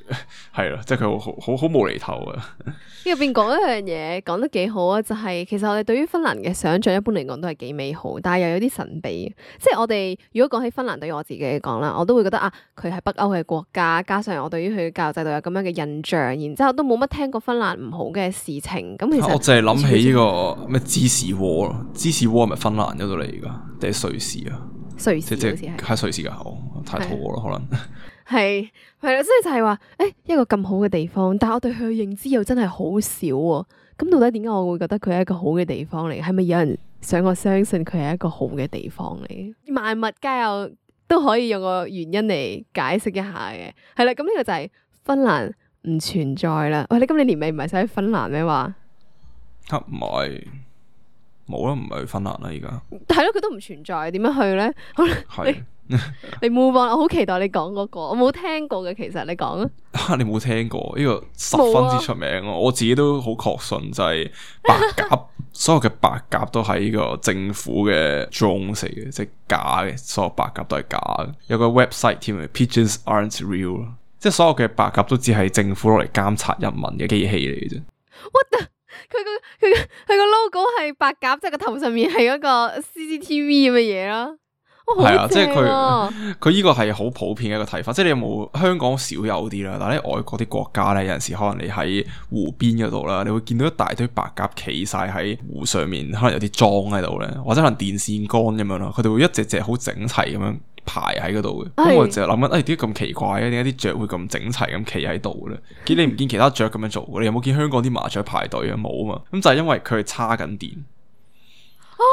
係啦，即係佢好好好無厘頭啊！呢入邊講一樣嘢講得幾好啊，就係、是、其實我哋對於芬蘭嘅想象一般嚟講都係幾美好，但係又有啲神秘。即係我哋如果講起芬蘭，對於我自己嚟講啦，我都會覺得啊，佢係北歐嘅國家，加上我對於佢嘅教育制度有咁樣嘅印象，然之後都冇乜聽過芬蘭唔好嘅事情。咁其實我淨係諗起呢個咩芝士鍋咯，芝士鍋係咪芬蘭嗰度嚟噶，定係瑞士啊？瑞士即係好似係喺瑞士噶，好太肚餓咯，可能係係啦，即係就係話，誒一個咁好嘅地方，但係我對佢嘅認知又真係好少喎。咁到底點解我會覺得佢係一個好嘅地方嚟？係咪有人想我相信佢係一個好嘅地方嚟？萬物皆有都可以用個原因嚟解釋一下嘅。係啦，咁呢個就係芬蘭唔存在啦。喂，你今年年尾唔係想去芬蘭咩話？嚇唔係冇啦，唔係去芬蘭啦，而家係咯，佢都唔存在，點樣去咧？係你 move on，我好期待你講嗰個，我冇聽過嘅，其實你講啊。你冇聽過呢個十分之出名啊！我自己都好確信就係白鴿，所有嘅白鴿都係呢個政府嘅 drones 嚟嘅，即係假嘅，所有白鴿都係假嘅。有個 website 添啊 ，Pigeons aren't real， 即係所有嘅白鴿都只係政府攞嚟監察人民嘅機器嚟嘅啫。What the？佢個佢個佢個 logo 係白鴿，即係個頭上面係嗰個 C C T V 咁嘅嘢啦。係啊，即係佢佢呢個係好普遍嘅一個睇法，即係你有冇香港少有啲啦，但係喺外國啲國家咧，有陣時可能你喺湖邊嗰度啦，你會見到一大堆白鴿企晒喺湖上面，可能有啲樁喺度咧，或者可能電線桿咁樣咯，佢哋會一隻隻好整齊咁樣排喺嗰度嘅。咁我就諗緊，誒點解咁奇怪嘅？點解啲雀會咁整齊咁企喺度咧？見你唔見其他雀咁樣做嘅？你有冇見香港啲麻雀排隊啊？冇啊嘛，咁就係因為佢係叉緊電。哦。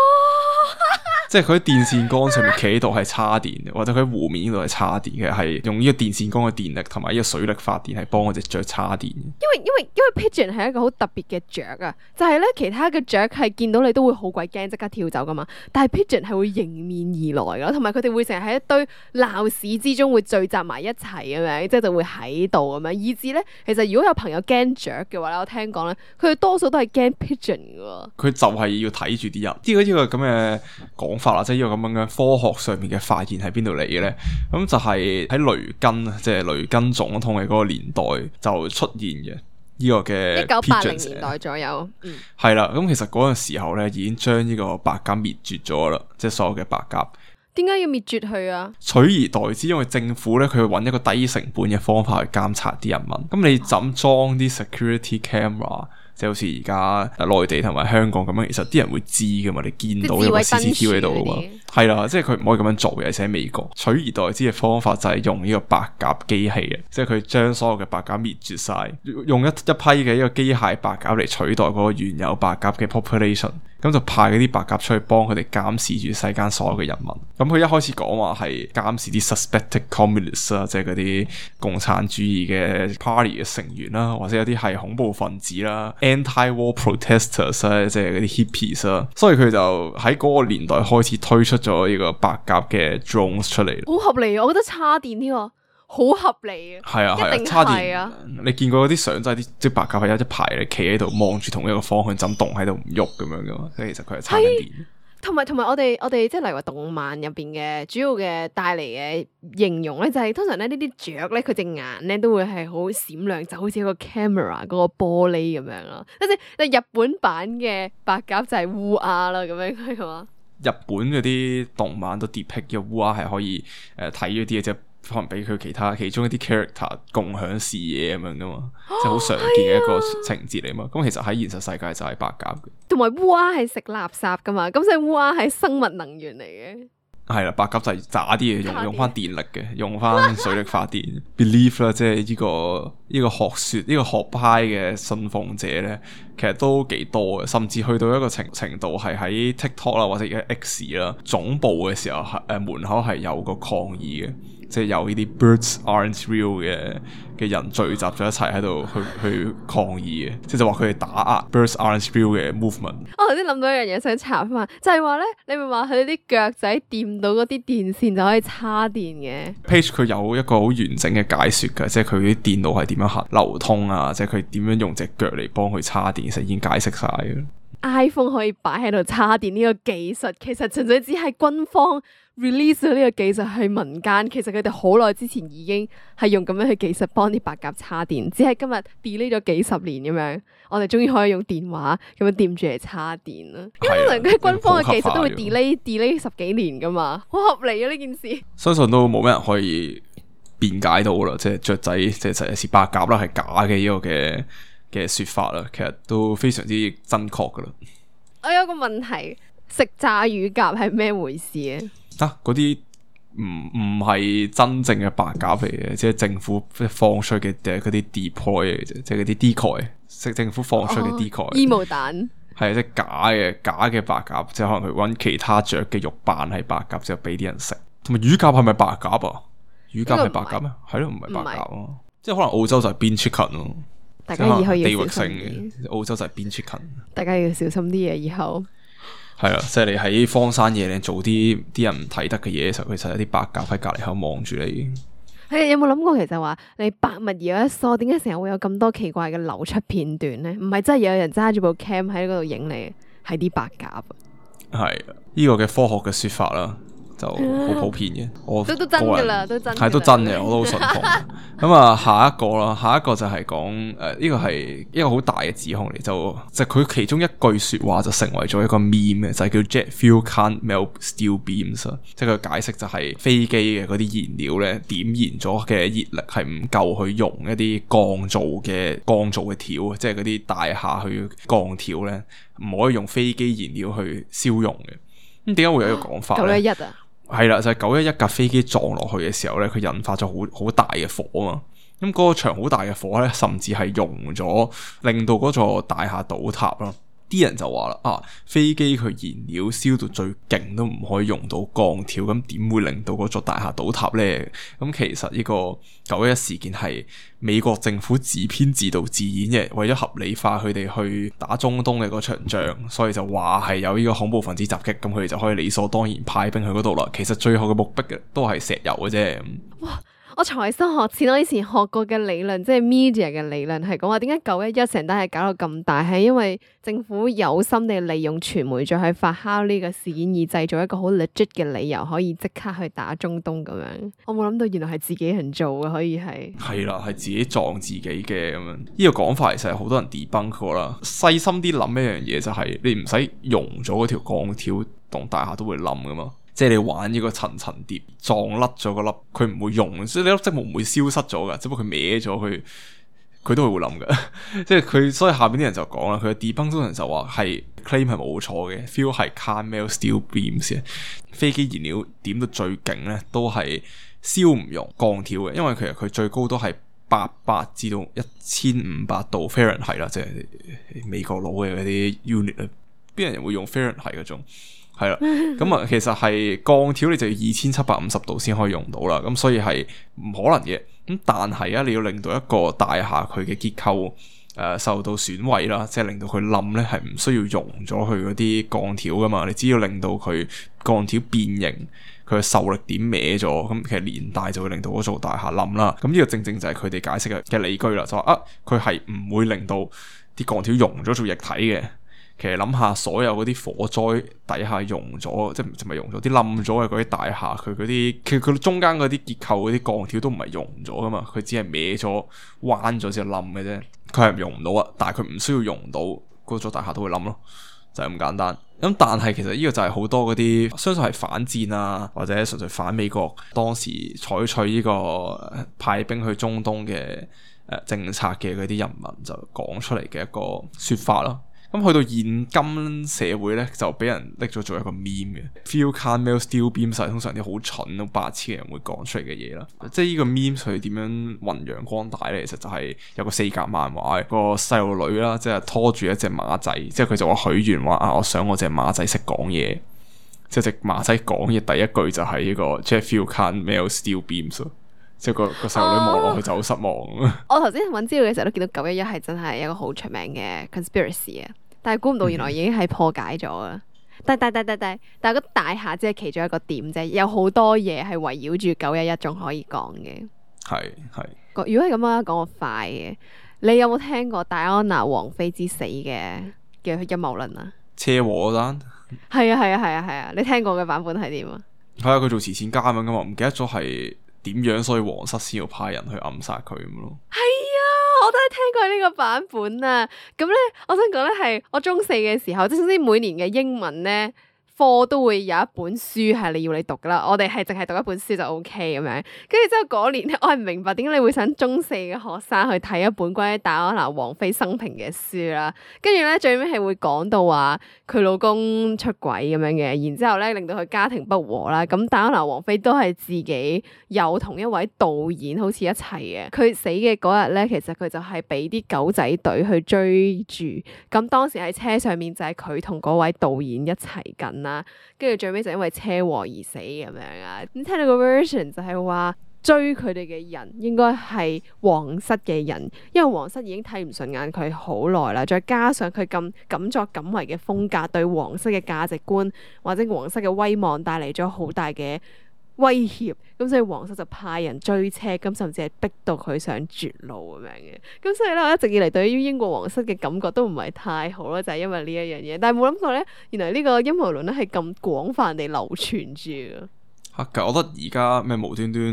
即係佢喺電線桿上面企喺度係叉電嘅，或者佢喺湖面呢度係叉電嘅，係用呢個電線桿嘅電力同埋呢個水力發電，係幫嗰隻雀叉電。因為因為因為 pigeon 係一個好特別嘅雀啊，就係咧其他嘅雀係見到你都會好鬼驚，即刻跳走噶嘛。但係 pigeon 係會迎面而來噶，同埋佢哋會成日喺一堆鬧市之中會聚集埋一齊咁樣，即係就會喺度咁樣。以至咧，其實如果有朋友驚雀嘅話咧，我聽講咧，佢哋多數都係驚 pigeon 噶。佢就係要睇住啲人。呢個呢個咁嘅講法啦，即係呢個咁樣嘅科學上面嘅發現喺邊度嚟嘅咧？咁就係喺雷根，即係雷根總統嘅嗰個年代就出現嘅呢個嘅一九八零年代左右。嗯，係啦。咁其實嗰陣時候咧，已經將呢個白鴿滅絕咗啦，即係所有嘅白鴿。點解要滅絕佢啊？取而代之，因為政府咧，佢會揾一個低成本嘅方法去監察啲人民。咁你怎裝啲 security camera？即係好似而家內地同埋香港咁樣，其實啲人會知噶嘛，你見到有個 C C T V 喺度噶嘛，係啦，即係佢唔可以咁樣做嘅，而且喺美國取而代之嘅方法就係用呢個白鴿機器嘅，即係佢將所有嘅白鴿滅絕晒，用一一批嘅呢個機械白鴿嚟取代嗰個原有白鴿嘅 population， 咁就派嗰啲白鴿出去幫佢哋監視住世間所有嘅人民。咁佢一開始講話係監視啲 suspected communists 啦，即係嗰啲共產主義嘅 party 嘅成員啦，或者有啲係恐怖分子啦。Anti-war protesters 咧，即係嗰啲 hippies 啦，所以佢就喺嗰個年代開始推出咗呢個白鴿嘅 drones 出嚟。好合理啊！我覺得叉電呢個好合理啊。係啊係啊，叉電。你見過嗰啲相，真係啲即係白鴿係一排嚟企喺度望住同一個方向，就咁動喺度唔喐咁樣噶嘛。所以其實佢係叉緊電。同埋同埋，我哋我哋即係例如話動漫入邊嘅主要嘅帶嚟嘅形容咧，就係、是、通常咧呢啲雀咧，佢隻眼咧都會係好閃亮，就好似一個 camera 嗰個玻璃咁樣咯。即係日本版嘅白鴿就係烏鴉啦，咁樣係嘛？日本嗰啲動漫都 depict 嘅烏鴉係可以誒睇咗啲嘢，即係可能俾佢其他其中一啲 character 共享視野咁樣噶嘛，即係好常見嘅一個情節嚟嘛。咁、啊、其實喺現實世界就係白鴿嘅，同埋烏鴉係食垃圾噶嘛，咁所以烏鴉係生物能源嚟嘅。係啦，白鴿就係渣啲嘢，用用翻電力嘅，用翻水力發電。Believe 啦，即係呢個呢、這個學說呢、這個學派嘅信奉者咧，其實都幾多嘅，甚至去到一個程程度係喺 TikTok 啦或者而家 X 啦總部嘅時候，誒、呃、門口係有個抗議嘅。即係有呢啲 birds aren't real 嘅嘅人聚集咗一齊喺度去去抗議嘅，即係就話佢哋打壓 birds aren't real 嘅 movement。我頭先諗到一樣嘢想查翻，就係話咧，你咪話佢啲腳仔掂到嗰啲電線就可以叉電嘅。Page 佢有一個好完整嘅解說嘅，即係佢啲電腦係點樣行流通啊，即係佢點樣用隻腳嚟幫佢叉電，其實已經解釋晒嘅。iPhone 可以擺喺度叉電呢個技術，其實純粹只係軍方 release 咗呢個技術去民間，其實佢哋好耐之前已經係用咁樣嘅技術幫啲白鴿叉電，只係今日 delay 咗幾十年咁樣，我哋終於可以用電話咁樣掂住嚟叉電啦。因為通常啲軍方嘅技術都會 delay delay 十幾年噶嘛，好合理啊呢件事。相信都冇咩人可以辯解到啦，即係雀仔即係實係是白鴿啦，係假嘅呢個嘅嘅說法啦，其實都非常之真確噶啦。我有個問題，食炸乳鴿係咩回事啊？啊，嗰啲唔唔係真正嘅白鴿嚟嘅，即係政府放出嘅嗰啲 decoy 嚟嘅啫，即係嗰啲 decoy，即政府放出嘅 decoy。煙霧彈係即係假嘅假嘅白鴿，即係可能佢揾其他雀嘅肉扮係白鴿，之後俾啲人食。同埋乳鴿係咪白鴿啊？乳鴿係白鴿咩？係咯，唔係白鴿咯。即係可能澳洲就係 bean chicken 咯。大家以後要地域性小心嘅，澳洲就係 bean chicken。大家要小心啲嘢，以後係啦，即係你喺荒山野嶺做啲啲人唔睇得嘅嘢嘅時候，其實有啲白鴿喺隔籬口望住你。係有冇諗過，其實話你百物而有一疏，點解成日會有咁多奇怪嘅流出片段咧？唔係真係有人揸住部 cam 喺嗰度影你，係啲白鴿。係呢個嘅科學嘅說法啦。就好普遍嘅，我都都真噶啦，都真係都真嘅，我都好信服。咁啊，下一個啦，下一個就係講誒，呢個係一個好大嘅指控嚟，就就佢其中一句說話就成為咗一個 meme 嘅，就係叫 Jet fuel can't melt steel beams，即係佢解釋就係飛機嘅嗰啲燃料咧，點燃咗嘅熱力係唔夠去熔一啲鋼造嘅鋼造嘅條，即係嗰啲大廈去鋼條咧，唔可以用飛機燃料去燒熔嘅。咁點解會有一個講法咧？九一一啊！係啦，就係九一一架飛機撞落去嘅時候咧，佢引發咗好好大嘅火啊嘛。咁嗰個場好大嘅火咧，甚至係熔咗，令到嗰座大廈倒塌啦。啲人就話啦，啊，飛機佢燃料燒到最勁都唔可以用到鋼條，咁點會令到嗰座大廈倒塌呢？咁其實呢個九一一事件係美國政府自編自導自演嘅，為咗合理化佢哋去打中東嘅嗰場仗，所以就話係有呢個恐怖分子襲擊，咁佢哋就可以理所當然派兵去嗰度啦。其實最後嘅目的都係石油嘅啫。哇！我財新學淺，我以前學過嘅理論，即係 media 嘅理論，係講話點解九一一成單係搞到咁大，係因為政府有心地利用傳媒再去發酵呢個事件，而製造一個好 legit 嘅理由，可以即刻去打中東咁樣。我冇諗到原來係自己人做嘅，可以係係啦，係自己撞自己嘅咁樣。呢個講法其實係好多人 debunk 過啦。細心啲諗一樣嘢就係，你唔使熔咗嗰條鋼條，棟大廈都會冧噶嘛。即係你玩呢個層層疊撞甩咗嗰粒，佢唔會溶，所以呢粒積木唔會消失咗噶，只不過佢歪咗，佢佢都係會冧噶。即係佢，所以下邊啲人就講啦，佢嘅 debunk 通常就話係 claim 係冇錯嘅 ，fuel 係 can't melt steel beams 嘅，飛機燃料點到最勁咧，都係燒唔溶鋼條嘅，因為其實佢最高都係八百至到一千五百度 Fahrenheit 啦，即係美國佬嘅嗰啲 unit 啊，邊人會用 Fahrenheit 嗰種？係啦，咁啊，其實係鋼條你就要二千七百五十度先可以用到啦，咁所以係唔可能嘅。咁但係啊，你要令到一個大廈佢嘅結構誒、呃、受到損毀啦，即係令到佢冧咧，係唔需要熔咗佢嗰啲鋼條噶嘛，你只要令到佢鋼條變形，佢嘅受力點歪咗，咁其實連帶就會令到嗰座大廈冧啦。咁呢個正正就係佢哋解釋嘅嘅理據啦，就話啊，佢係唔會令到啲鋼條溶咗做液體嘅。其實諗下，所有嗰啲火災底下溶咗，即係唔係溶咗啲冧咗嘅嗰啲大廈，佢嗰啲其實佢中間嗰啲結構嗰啲鋼條都唔係溶咗噶嘛，佢只係歪咗、彎咗先冧嘅啫。佢係溶唔到啊，但係佢唔需要溶到，嗰座大廈都會冧咯，就係咁簡單。咁但係其實呢個就係好多嗰啲，相信係反戰啊，或者純粹反美國當時採取呢個派兵去中東嘅誒政策嘅嗰啲人民就講出嚟嘅一個說法咯。咁去到現今社會咧，就俾人拎咗做一個 meme 嘅 fuel can't melt steel beams，通常啲好蠢、好白痴嘅人會講出嚟嘅嘢啦。即係呢個 meme 佢點樣弘揚光大咧？其實就係有個四格漫畫，個細路女啦，即係拖住一隻馬仔，即係佢就話許願話啊，我想我隻馬仔識講嘢。即係隻馬仔講嘢第一句就係呢個 jet fuel can't melt steel beams。即係個個細路女望落去就好失望。我頭先揾資料嘅時候都見到九一一係真係一個好出名嘅 conspiracy 啊！但係估唔到原來已經係破解咗啦。但但但但但但係個大廈只係其中一個點啫，有好多嘢係圍繞住九一一仲可以講嘅。係係。如果係咁樣講個快嘅，你有冇聽過戴安娜王妃之死嘅嘅陰謀論啊？車禍嗰單？係啊係啊係啊係啊！你聽過嘅版本係點啊？係啊，佢做慈善家咁樣噶嘛，唔記得咗係點樣，所以皇室先要派人去暗殺佢咁咯。係啊，我都係聽過呢個版本啊。咁咧，我想講咧係我中四嘅時候，即係總之每年嘅英文咧科都會有一本書係你要你讀噶啦，我哋係淨係讀一本書就 O K 咁樣。跟住之後嗰年咧，我係唔明白點解你會想中四嘅學生去睇一本關於戴安娜王妃生平嘅書啦。跟住咧最尾係會講到話佢老公出軌咁樣嘅，然之後咧令到佢家庭不和啦。咁戴安娜王妃都係自己有同一位導演好似一齊嘅。佢死嘅嗰日咧，其實佢就係俾啲狗仔隊去追住。咁當時喺車上面就係佢同嗰位導演一齊緊啦，跟住最尾就因為車禍而死咁樣啊。咁聽到個 version 就係話追佢哋嘅人應該係皇室嘅人，因為皇室已經睇唔順眼佢好耐啦，再加上佢咁敢作敢為嘅風格，對皇室嘅價值觀或者皇室嘅威望帶嚟咗好大嘅威脅，咁所以皇室就派人追車，咁甚至係逼到佢上絕路咁樣嘅。咁所以咧，我一直以嚟對於英國皇室嘅感覺都唔係太好啦，就係因為呢一樣嘢。但係冇諗過咧，原來呢個陰謀論咧係咁廣泛地流傳住嘅。嚇！但係我覺得而家咩無端端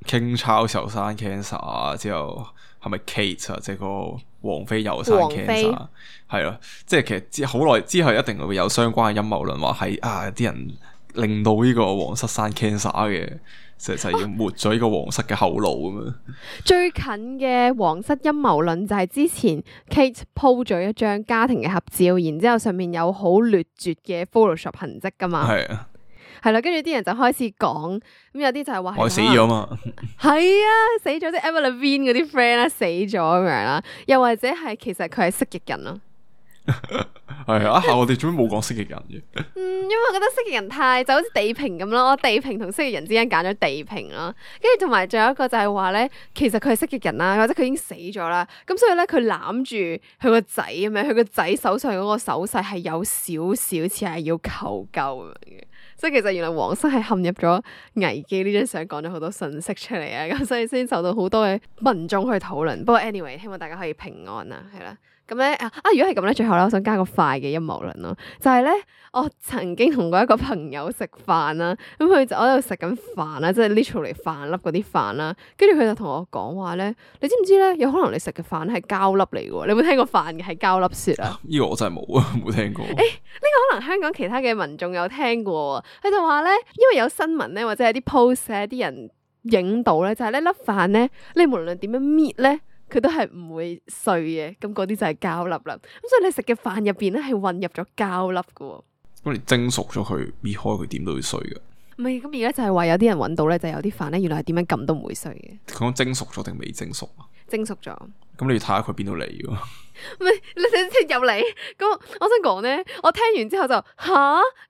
King Charles 又生 cancer 啊，之後係咪 Kate 啊，即係個王妃又生 cancer，係咯，即係其實之好耐之後一定會有相關嘅陰謀論話係啊啲人令到呢個皇室生 cancer 嘅，就就要抹咗呢個皇室嘅後路咁樣。最近嘅皇室陰謀論就係之前 Kate po 咗一張家庭嘅合照，然之後上面有好劣絕嘅 Photoshop 痕跡噶嘛。係啊，係啦，跟住啲人就開始講，咁有啲就係話我死咗嘛。係啊，死咗啲 Avril Lavigne 嗰啲 friend 啦，死咗咁樣啦，又或者係其實佢係蜥蜴人咯。係啊，我哋做咩冇講蜥蜴人嘅？嗯，因為我覺得蜥蜴人太就好似地平咁咯，我地平同蜥蜴人之間揀咗地平咯，跟住同埋仲有一個就係話咧，其實佢係蜥蜴人啦，或者佢已經死咗啦，咁所以咧佢攬住佢個仔咁樣，佢個仔手上嗰個手勢係有少少似係要求救咁樣嘅。即係其實原來皇室係陷入咗危機，呢張相講咗好多信息出嚟啊，咁所以先受到好多嘅民眾去討論。不過 anyway，希望大家可以平安啊，係啦。咁咧啊啊！如果係咁咧，最後咧，我想加個快嘅陰謀論咯，就係咧，我曾經同過一個朋友食飯啦，咁佢就我喺度食緊飯啦，即係 literally 飯粒嗰啲飯啦，跟住佢就同我講話咧，你知唔知咧？有可能你食嘅飯係膠粒嚟嘅，你有冇聽過飯嘅係膠粒雪啊？呢個我真係冇啊，冇聽過。誒，呢個可能香港其他嘅民眾有聽過，佢就話咧，因為有新聞咧，或者係啲 post 咧，啲人影到咧，就係呢粒飯咧，你無論點樣搣咧，佢都係唔會碎嘅，咁嗰啲就係膠粒啦。咁所以你食嘅飯入邊咧係混入咗膠粒嘅。咁你蒸熟咗佢，搣開佢點都會碎嘅。唔係，咁而家就係話有啲人揾到咧，就有啲飯咧，原來係點樣撳都唔會碎嘅。佢講蒸熟咗定未蒸熟啊？蒸熟咗。咁你要睇下佢邊度嚟嘅。唔係，你睇睇入嚟。咁我想講咧，我聽完之後就吓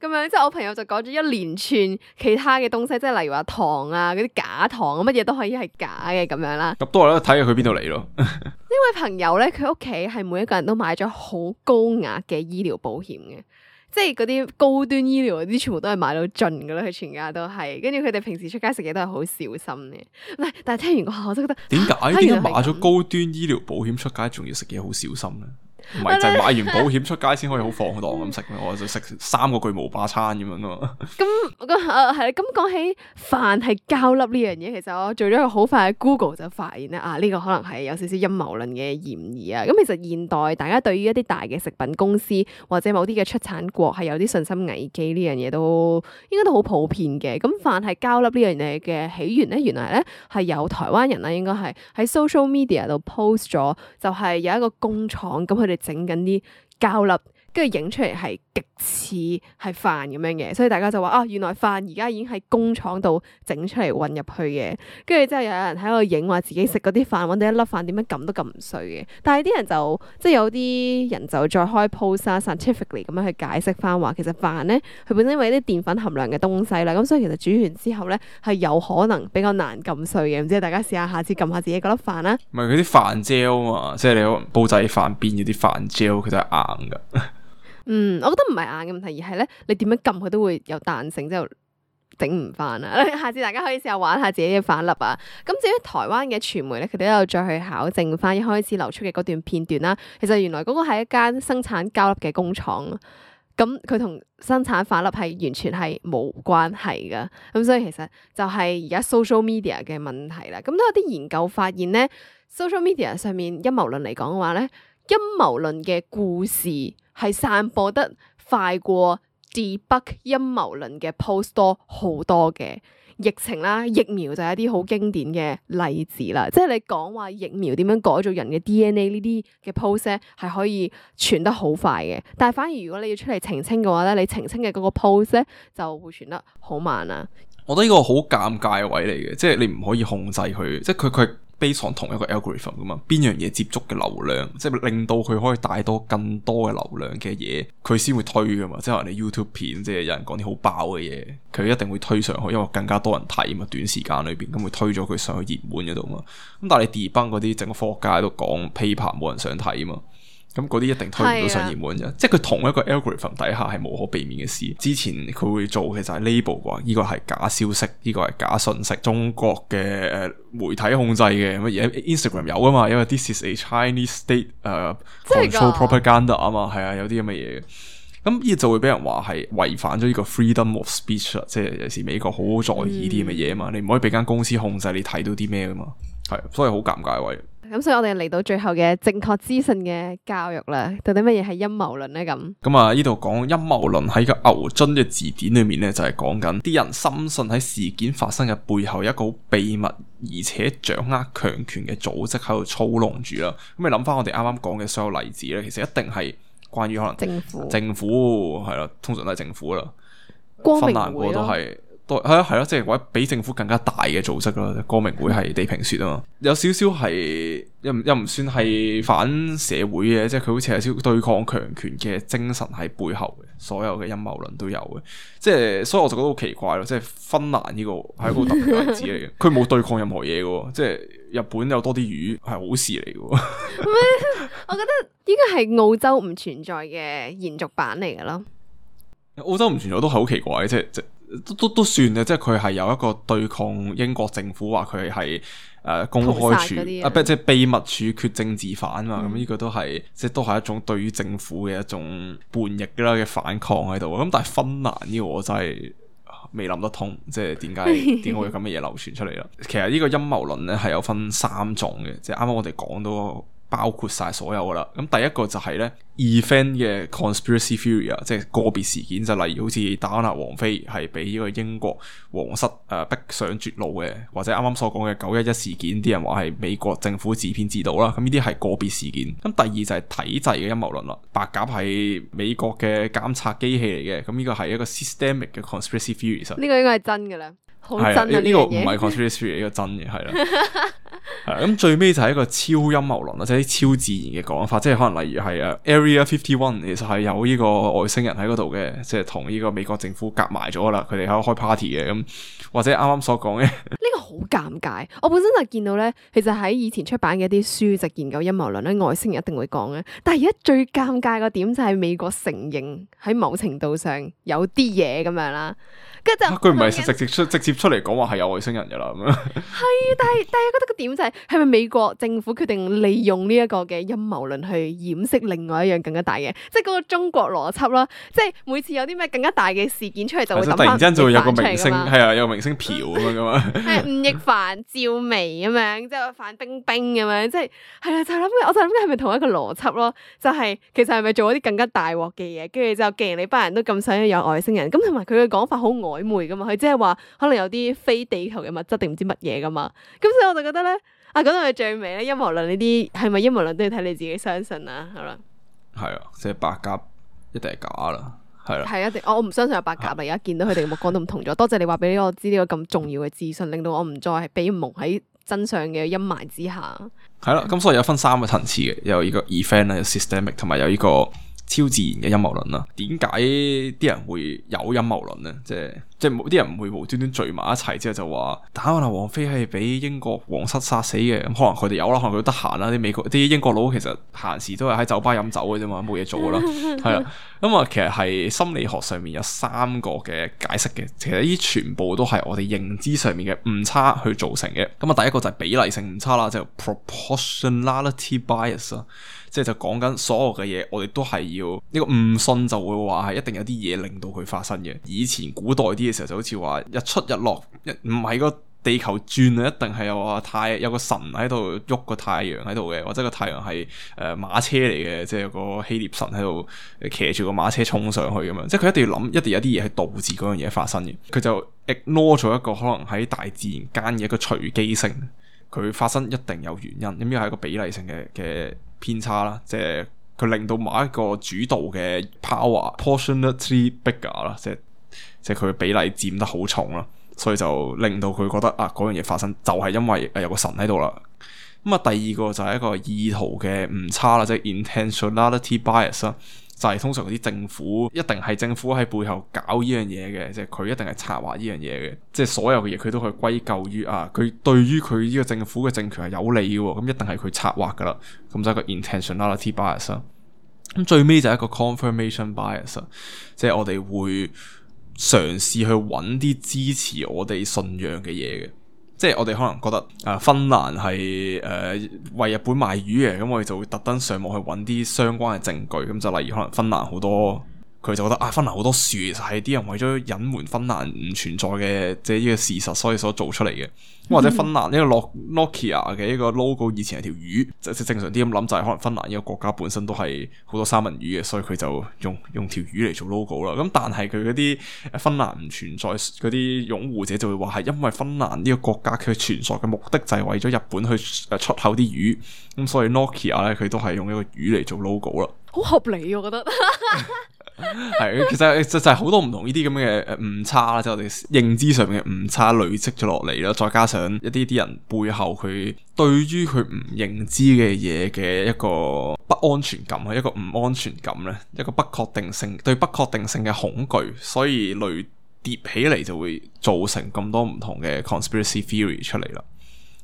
咁樣，即係我朋友就講咗一連串其他嘅東西，即係例如話糖啊，嗰啲假糖，乜嘢都可以係假嘅咁樣啦。咁都係咧，睇下佢邊度嚟咯。呢位朋友咧，佢屋企係每一個人都買咗好高額嘅醫療保險嘅。即係嗰啲高端醫療嗰啲，全部都係買到盡噶啦，佢全家都係。跟住佢哋平時出街食嘢都係好小心嘅。唔係，但係聽完個下，我真覺得點解啊點解買咗高端醫療保險出街，仲要食嘢好小心咧？唔係就係買完保險出街先可以好放蕩咁食咩？我就食三個巨無霸餐咁樣咯。咁我覺得誒係咁講起飯係膠粒呢樣嘢，其實我做咗一個好快嘅 Google 就發現咧啊，呢個可能係有少少陰謀論嘅嫌疑啊。咁其實現代大家對於一啲大嘅食品公司或者某啲嘅出產國係有啲信心危機呢樣嘢都應該都好普遍嘅。咁飯係膠粒呢樣嘢嘅起源咧，原來咧係有台灣人啦，應該係喺 social media 度 post 咗，就係有一個工廠咁佢哋整緊啲膠粒，跟住影出嚟係極似係飯咁樣嘅，所以大家就話啊，原來飯而家已經喺工廠度整出嚟混入去嘅，跟住之後有人喺度影話自己食嗰啲飯，搵到一粒飯點樣撳都撳唔碎嘅，但係啲人就即係有啲人就再開 post 啊 scientifically 咁樣去解釋翻話，其實飯咧佢本身因為啲澱粉含量嘅東西啦，咁所以其實煮完之後咧係有可能比較難撳碎嘅，唔知大家試下下次撳下自己嗰粒飯啦。唔係嗰啲飯 gel 嘛，即係你煲仔飯邊嗰啲飯 gel，佢都係硬噶。嗯，我覺得唔係硬嘅問題，而係咧你點樣撳佢都會有彈性，之後整唔翻啊！下次大家可以試下玩下自己嘅飯粒啊！咁至於台灣嘅傳媒咧，佢哋都有再去考證翻一開始流出嘅嗰段片段啦。其實原來嗰個係一間生產膠粒嘅工廠，咁佢同生產飯粒係完全係冇關係噶。咁所以其實就係而家 social media 嘅問題啦。咁都有啲研究發現咧，social media 上面陰謀論嚟講嘅話咧，陰謀論嘅故事係散播得快過 debug 陰謀論嘅 post 多好多嘅。疫情啦，疫苗就係一啲好經典嘅例子啦。即係你講話疫苗點樣改造人嘅 D N A 呢啲嘅 post 咧，係可以傳得好快嘅。但係反而如果你要出嚟澄清嘅話咧，你澄清嘅嗰個 post 咧就會傳得好慢啦。我覺得呢個好尷尬嘅位嚟嘅，即係你唔可以控制佢，即係佢佢。based on 同一個 algorithm 噶嘛，邊樣嘢接觸嘅流量，即係令到佢可以帶多更多嘅流量嘅嘢，佢先會推噶嘛。即係話你 YouTube 片，即係有人講啲好爆嘅嘢，佢一定會推上去，因為更加多人睇嘛，短時間裏邊咁會推咗佢上去熱門嗰度嘛。咁但係你 debunk 嗰啲整個科學家喺度講 paper 冇人想睇嘛。咁嗰啲一定推唔到上熱門啫，即係佢同一個 algorithm 底下係無可避免嘅事。之前佢會做嘅就係 label 啩，呢個係假消息，呢個係假信息，中國嘅誒媒體控制嘅，乜嘢 Instagram 有啊嘛，因為 this is a Chinese state 誒、uh, control propaganda 啊嘛，係啊，有啲咁嘅嘢嘅。咁呢就會俾人話係違反咗呢個 freedom of speech 啦，即係有時美國好在意啲咁嘅嘢啊嘛，嗯、你唔可以俾間公司控制你睇到啲咩噶嘛，係，所以好尷尬位。咁所以我哋嚟到最後嘅正確資訊嘅教育啦，到底乜嘢係陰謀論咧？咁咁啊，呢度講陰謀論喺個牛津嘅字典裏面咧，就係講緊啲人深信喺事件發生嘅背後有一個好秘密而且掌握強權嘅組織喺度操弄住啦。咁你諗翻我哋啱啱講嘅所有例子咧，其實一定係關於可能政府，政府係啦，通常都係政府啦，光明會芬蘭嗰個都係。係啊係咯，即係或者比政府更加大嘅組織咯。光明會係地平說啊嘛，有少少係又唔又唔算係反社會嘅，即係佢好似係少對抗強權嘅精神喺背後嘅，所有嘅陰謀論都有嘅。即係所以我就覺得好奇怪咯，即係芬蘭呢個係一個特別嘅例子嚟嘅，佢冇對抗任何嘢嘅，即係日本有多啲魚係好事嚟嘅。我覺得呢個係澳洲唔存在嘅延續版嚟嘅咯。澳洲唔存在都係好奇怪，即係即都都都算嘅，即係佢係有一個對抗英國政府，話佢係誒公開處啊，不即係秘密處決政治犯嘛，咁呢、嗯、個都係即係都係一種對於政府嘅一種叛逆啦嘅反抗喺度。咁但係芬蘭呢個我真係未諗得通，即係點解點解會有咁嘅嘢流傳出嚟啦？其實呢個陰謀論咧係有分三種嘅，即係啱啱我哋講到包括晒所有噶啦。咁第一個就係咧 event 嘅 conspiracy theory 啊，即係個別事件，就例如好似戴安娜王妃係俾呢個英國皇室誒、呃、逼上絕路嘅，或者啱啱所講嘅九一一事件，啲人話係美國政府自編自導啦。咁呢啲係個別事件。咁第二就係體制嘅陰謀論啦，白鴿係美國嘅監察機器嚟嘅，咁呢個係一個 systemic 嘅 conspiracy theory。呢個應該係真嘅啦，好真啊！呢、呢個唔係 conspiracy theory，呢個真嘅係啦。係咁最尾就係一個超陰謀論啦，即係啲超自然嘅講法，即係可能例如係誒 Area fifty one 其實係有呢個外星人喺嗰度嘅，即係同呢個美國政府夾埋咗啦，佢哋喺度開 party 嘅咁，或者啱啱所講嘅呢個好尷尬。我本身就見到咧，其實喺以前出版嘅一啲書籍研究陰謀論咧，外星人一定會講嘅。但係而家最尷尬個點就係美國承認喺某程度上有啲嘢咁樣啦。跟住就佢唔係直接出直接出嚟講話係有外星人噶啦咁樣。係，但係但係覺得個點就係係咪美國政府決定利用呢一個嘅陰謀論去掩飾另外一樣更加大嘅，即係嗰個中國邏輯啦。即係每次有啲咩更加大嘅事件出嚟，就會突然之間就會有個明星係啊，有個明星嫖咁樣噶嘛。係吳亦凡、趙薇咁樣，即係范冰冰咁樣，即係係啦，就諗我就諗緊係咪同一個邏輯咯？就係、是、其實係咪做一啲更加大鑊嘅嘢？跟住就既然你班人都咁想要有外星人，咁同埋佢嘅講法好曖昧噶嘛，佢即係話可能有啲非地球嘅物質定唔知乜嘢噶嘛，咁所以我就覺得咧，啊講到佢最尾咧，陰謀論呢啲係咪陰謀論都要睇你自己相信啦，好啦，係啊，即係白鴿一定係假啦，係啦，係一定，我唔相信有白鴿啦，而家見到佢哋嘅目光都唔同咗，多謝你話俾我知呢個咁重要嘅資訊，令到我唔再係被蒙喺真相嘅陰霾之下。係啦，咁所以有分三個層次嘅，有呢個 event 啦，有 systemic， 同埋有呢個超自然嘅陰謀論啦。點解啲人會有陰謀論咧？即係即係啲人唔會無端端聚埋一齊之後就話戴安娜王妃係俾英國皇室殺死嘅。咁可能佢哋有啦，可能佢得閒啦。啲美國啲英國佬其實閒時都係喺酒吧飲酒嘅啫嘛，冇嘢做噶啦。係啦，咁啊，其實係心理學上面有三個嘅解釋嘅。其實呢啲全部都係我哋認知上面嘅誤差去造成嘅。咁啊，第一個就係比例性誤差啦，就係 proportionality bias 啊。即係就講緊所有嘅嘢，我哋都係要呢個誤信就會話係一定有啲嘢令到佢發生嘅。以前古代啲嘅時候就好似話日出日落，唔係個地球轉啊，一定係有個太有個神喺度喐個太陽喺度嘅，或者個太陽係誒馬車嚟嘅，即係有個希臘神喺度騎住個馬車衝上去咁樣，即係佢一定要諗，一定有啲嘢係導致嗰樣嘢發生嘅。佢就 ignore 咗一個可能喺大自然間嘅一個隨機性，佢發生一定有原因，咁呢個係一個比例性嘅嘅偏差啦，即係佢令到某一個主導嘅 power proportionately bigger 啦，即係即係佢嘅比例佔得好重啦。所以就令到佢覺得啊，嗰樣嘢發生就係因為誒有個神喺度啦。咁啊，第二個就係一個意圖嘅誤差啦，即係 intentionality bias 啦，就係通常嗰啲政府一定係政府喺背後搞呢樣嘢嘅，即係佢一定係策劃呢樣嘢嘅，即係所有嘅嘢佢都可以歸咎於啊，佢對於佢呢個政府嘅政權係有利嘅，咁一定係佢策劃噶啦，咁就係一個 intentionality bias 啦。咁最尾就係一個 confirmation bias，即係我哋會嘗試去揾啲支持我哋信仰嘅嘢嘅，即係我哋可能覺得啊芬蘭係誒為日本賣魚嘅，咁我哋就會特登上網去揾啲相關嘅證據，咁就例如可能芬蘭好多，佢就覺得啊芬蘭好多樹其實係啲人為咗隱瞞芬蘭唔存在嘅即係呢個事實，所以所做出嚟嘅。或者芬蘭呢個 Nokia 嘅呢個 logo 以前係條魚，即係正常啲咁諗就係可能芬蘭呢個國家本身都係好多三文魚嘅，所以佢就用用條魚嚟做 logo 啦。咁但係佢嗰啲芬蘭唔存在嗰啲擁護者就會話係因為芬蘭呢個國家佢存在嘅目的就係為咗日本去出口啲魚，咁所以 Nokia 咧佢都係用一個魚嚟做 logo 啦。好合理我覺得。係，其實就就係好多唔同呢啲咁嘅誒誤差啦，即係我哋認知上面嘅誤差累積咗落嚟啦，再加上一啲啲人背後佢對於佢唔認知嘅嘢嘅一個不安全感啊，一個唔安全感咧，一個不確定性，對不確定性嘅恐懼，所以累疊起嚟就會造成咁多唔同嘅 conspiracy theory 出嚟啦。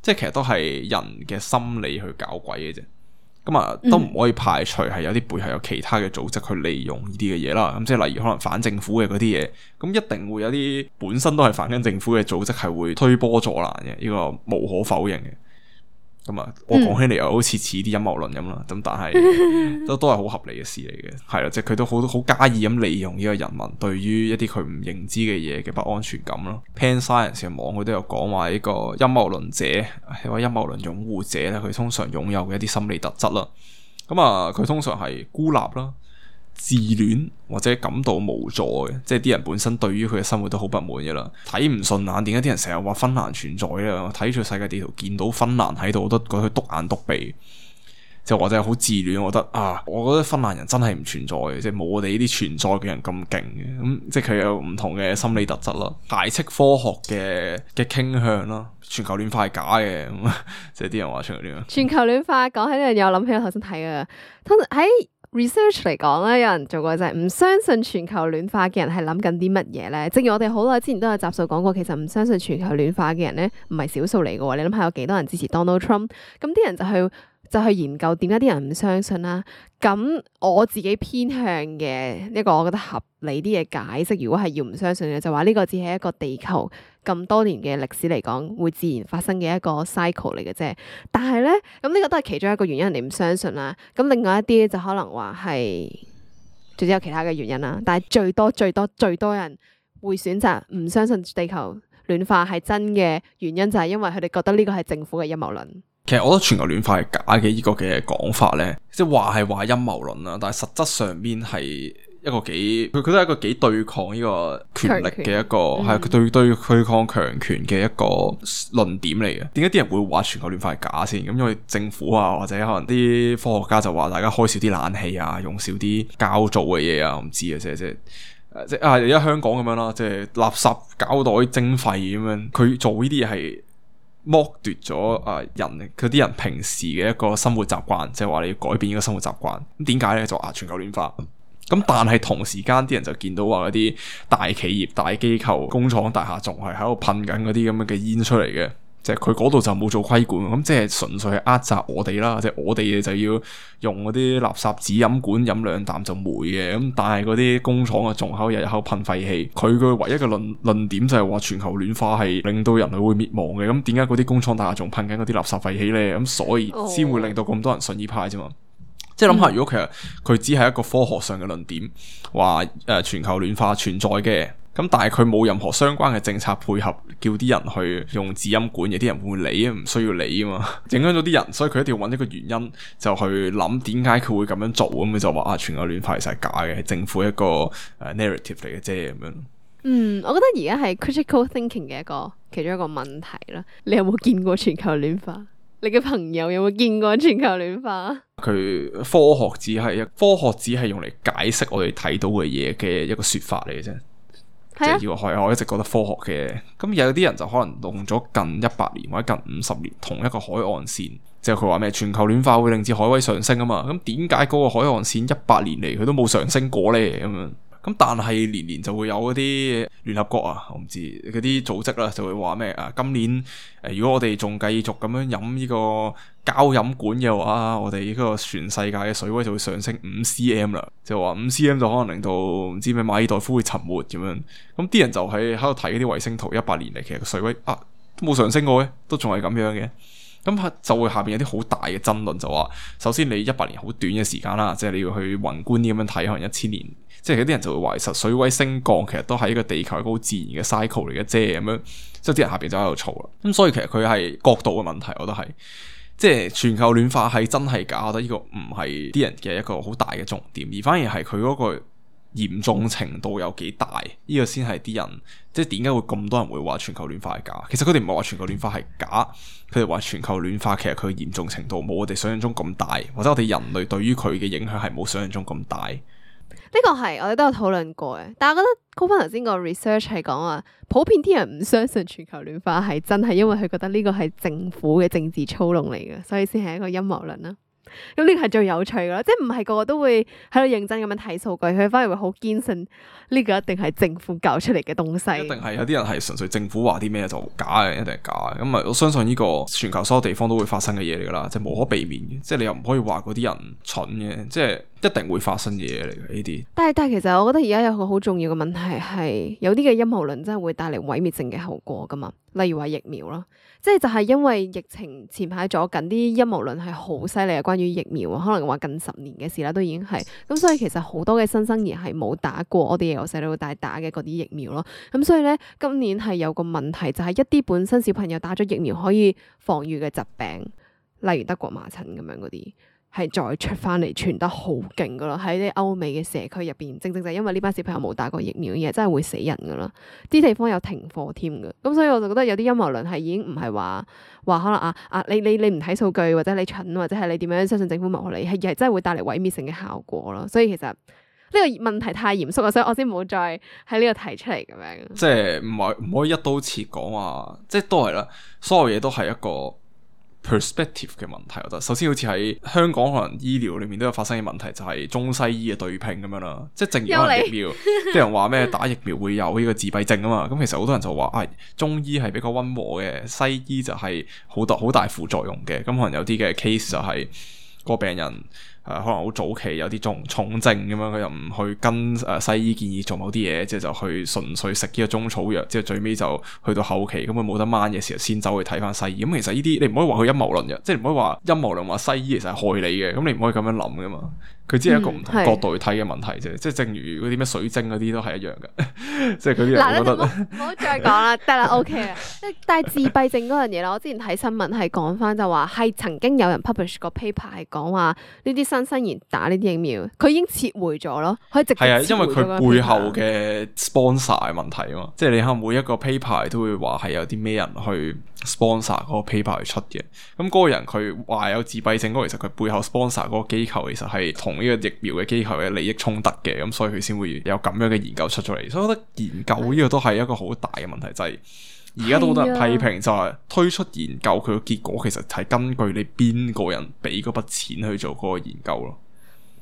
即係其實都係人嘅心理去搞鬼嘅啫。咁啊，都唔可以排除係有啲背後有其他嘅組織去利用呢啲嘅嘢啦。咁即係例如可能反政府嘅嗰啲嘢，咁一定會有啲本身都係反緊政府嘅組織係會推波助瀾嘅，呢個無可否認嘅。咁啊，我講起嚟又好似似啲陰謀論咁啦，咁但係都都係好合理嘅事嚟嘅，係啦，即係佢都好好加意咁利用呢個人民對於一啲佢唔認知嘅嘢嘅不安全感咯。Pan Science 嘅網佢都有講話呢個陰謀論者，係話陰謀論擁護者咧，佢通常擁有嘅一啲心理特質啦。咁啊，佢通常係孤立啦、自戀或者感到無助嘅，即係啲人本身對於佢嘅生活都好不滿嘅啦，睇唔順眼。點解啲人成日話芬蘭存在咧？睇住世界地圖見到芬蘭喺度，我都覺得佢篤眼篤鼻，就或者係好自戀。我覺得啊，我覺得芬蘭人真係唔存在嘅，即係冇我哋呢啲存在嘅人咁勁嘅。咁即係佢有唔同嘅心理特質啦，排斥科學嘅嘅傾向啦，全球暖化係假嘅，咁即係啲人話全球暖化。全球暖化講起呢樣嘢，我諗起我頭先睇嘅，通常喺research 嚟講咧，有人做過就係唔相信全球暖化嘅人係諗緊啲乜嘢咧？正如我哋好耐之前都有集數講過，其實唔相信全球暖化嘅人咧，唔係少數嚟嘅喎。你諗下有幾多人支持 Donald Trump？咁啲人就去就去研究點解啲人唔相信啦。咁我自己偏向嘅一個我覺得合理啲嘅解釋，如果係要唔相信嘅，就話呢個只係一個地球咁多年嘅歷史嚟講會自然發生嘅一個 cycle 嚟嘅啫。但係咧，咁呢個都係其中一個原因，人哋唔相信啦。咁另外一啲就可能話係，仲有其他嘅原因啦。但係最多最多最多人會選擇唔相信地球暖化係真嘅原因，就係因為佢哋覺得呢個係政府嘅陰謀論。其實我覺得全球暖化係假嘅呢個嘅講法咧，即係話係話陰謀論啦，但係實質上邊係一個幾，佢佢都係一個幾對抗呢個權力嘅一個，係佢對對對抗強權嘅一個論點嚟嘅。點解啲人會話全球暖化係假先？咁因為政府啊，或者可能啲科學家就話大家開少啲冷氣啊，用少啲膠做嘅嘢啊，我唔知啊，即係即係。即係啊！而家香港咁樣啦，即係垃圾膠袋徵費咁樣，佢做呢啲嘢係剝奪咗啊人佢啲人平時嘅一個生活習慣，即係話你要改變呢個生活習慣。咁點解咧？就啊全球暖化。咁但係同時間啲人就見到話嗰啲大企業、大機構、工廠大廈仲係喺度噴緊嗰啲咁樣嘅煙出嚟嘅。即係佢嗰度就冇做規管，咁即係純粹係扼殺我哋啦。即係我哋就要用嗰啲垃圾紙飲管飲兩啖就霉嘅，咁但係嗰啲工廠啊仲喺日日喺度噴廢氣。佢嘅唯一嘅論論點就係話全球暖化係令到人類會滅亡嘅。咁點解嗰啲工廠大廈仲噴緊嗰啲垃圾廢氣咧？咁所以先會令到咁多人信呢派啫嘛。即係諗下，如果其實佢只係一個科學上嘅論點，話誒、呃、全球暖化存在嘅。咁但係佢冇任何相關嘅政策配合，叫啲人去用指音管嘅，啲人會唔會理啊？唔需要理啊嘛，影響咗啲人，所以佢一定要揾一個原因就去諗點解佢會咁樣做，咁佢就話啊全球暖化其實係假嘅，係政府一個誒 narrative 嚟嘅啫咁樣。嗯，我覺得而家係 critical thinking 嘅一個其中一個問題啦。你有冇見過全球暖化？你嘅朋友有冇見過全球暖化？佢科學只係一科學只係用嚟解釋我哋睇到嘅嘢嘅一個說法嚟嘅啫。即係要係我一直覺得科學嘅，咁有啲人就可能用咗近一百年或者近五十年同一個海岸線，即係佢話咩全球暖化會令至海位上升啊嘛。咁點解嗰個海岸線一百年嚟佢都冇上升過咧？咁樣。咁但係年年就會有嗰啲聯合國啊，我唔知嗰啲組織啦，就會話咩啊？今年誒、呃，如果我哋仲繼續咁樣飲呢個膠飲管嘅話，我哋呢個全世界嘅水位就會上升五 cm 啦。就話五 cm 就可能令到唔知咩馬爾代夫會沉沒咁樣。咁啲人就喺喺度睇嗰啲衛星圖，一百年嚟其實個水位啊都冇上升過嘅，都仲係咁樣嘅。咁就會下邊有啲好大嘅爭論，就話首先你一百年好短嘅時間啦，即係你要去宏觀啲咁樣睇，可能一千年。即係有啲人就會話，其實水位升降其實都係一個地球一個好自然嘅 cycle 嚟嘅啫，咁樣，即係啲人下邊就喺度嘈啦。咁所以其實佢係角度嘅問題，我覺得係，即係全球暖化係真係假，我覺得呢個唔係啲人嘅一個好大嘅重點，而反而係佢嗰個嚴重程度有幾大，呢個先係啲人，即係點解會咁多人會話全球暖化係假？其實佢哋唔係話全球暖化係假，佢哋話全球暖化其實佢嚴重程度冇我哋想象中咁大，或者我哋人類對於佢嘅影響係冇想象中咁大。呢個係我哋都有討論過嘅，但係我覺得高翻頭先個 research 係講話，普遍啲人唔相信全球暖化係真，係因為佢覺得呢個係政府嘅政治操弄嚟嘅，所以先係一個陰謀論啦。咁呢個係最有趣噶啦，即係唔係個個都會喺度認真咁樣睇數據，佢反而會好堅信呢個一定係政府搞出嚟嘅東西。一定係有啲人係純粹政府話啲咩就假嘅，一定係假嘅。咁啊，我相信呢個全球所有地方都會發生嘅嘢嚟噶啦，即係無可避免嘅。即係你又唔可以話嗰啲人蠢嘅，即係一定會發生嘅嘢嚟嘅呢啲。但係但係其實我覺得而家有個好重要嘅問題係，有啲嘅陰謀論真係會帶嚟毀滅性嘅後果噶嘛。例如話疫苗咯，即係就係因為疫情前排咗緊啲陰謀論係好犀利啊，關於疫苗啊，可能話近十年嘅事啦，都已經係咁，所以其實好多嘅新生兒係冇打過我哋由細到大打嘅嗰啲疫苗咯，咁所以咧今年係有個問題就係一啲本身小朋友打咗疫苗可以防禦嘅疾病，例如德國麻疹咁樣嗰啲。係再出翻嚟傳得好勁噶啦，喺啲歐美嘅社區入邊，正正就係因為呢班小朋友冇打過疫苗，而係真係會死人噶啦，啲地方有停課添噶，咁所以我就覺得有啲陰謀論係已經唔係話話可能啊啊你你你唔睇數據或者你蠢或者係你點樣相信政府謀利，係係真係會帶嚟毀滅性嘅效果咯，所以其實呢個問題太嚴肅啊，所以我先冇再喺呢度提出嚟咁樣。即係唔係唔可以一刀切講話，即係都係啦，所有嘢都係一個perspective 嘅問題，我覺得首先好似喺香港可能醫療裏面都有發生嘅問題，就係中西醫嘅對拼咁樣啦。即係正如可能疫苗，啲人話咩打疫苗會有呢個自閉症啊嘛。咁其實好多人就話啊、哎，中醫係比較溫和嘅，西醫就係好多好大副作用嘅。咁可能有啲嘅 case 就係個病人。誒、呃、可能好早期有啲重重症咁樣，佢又唔去跟誒、呃、西醫建議做某啲嘢，即係就去純粹食呢個中草藥，即係最尾就去到後期咁佢冇得掹嘅時候，先走去睇翻西醫。咁、嗯、其實呢啲你唔可以話佢陰謀論嘅，即係唔可以話陰謀論話西醫其實係害你嘅。咁你唔可以咁樣諗噶嘛。佢只係一個唔同角度去睇嘅問題啫。嗯、即係正如嗰啲咩水晶嗰啲都係一樣嘅。即係嗰啲人覺得唔好再講啦，得啦，OK 啦。但係自閉症嗰樣嘢啦，我之前睇新聞係講翻就話係曾經有人 publish 個 paper 係講話呢啲新生兒打呢啲疫苗，佢已經撤回咗咯，可以直接係啊，因為佢背後嘅 sponsor 嘅問題啊嘛，即係你可能每一個 paper 都會話係有啲咩人去 sponsor 嗰個 paper 去出嘅，咁嗰個人佢話有自閉症嗰個，其實佢背後 sponsor 嗰個機構其實係同呢個疫苗嘅機構嘅利益衝突嘅，咁所以佢先會有咁樣嘅研究出咗嚟，所以我覺得研究呢個都係一個好大嘅問題，就係而家都好多人批評，就係推出研究佢個結果其實係根據你邊個人俾嗰筆錢去做嗰個研究咯。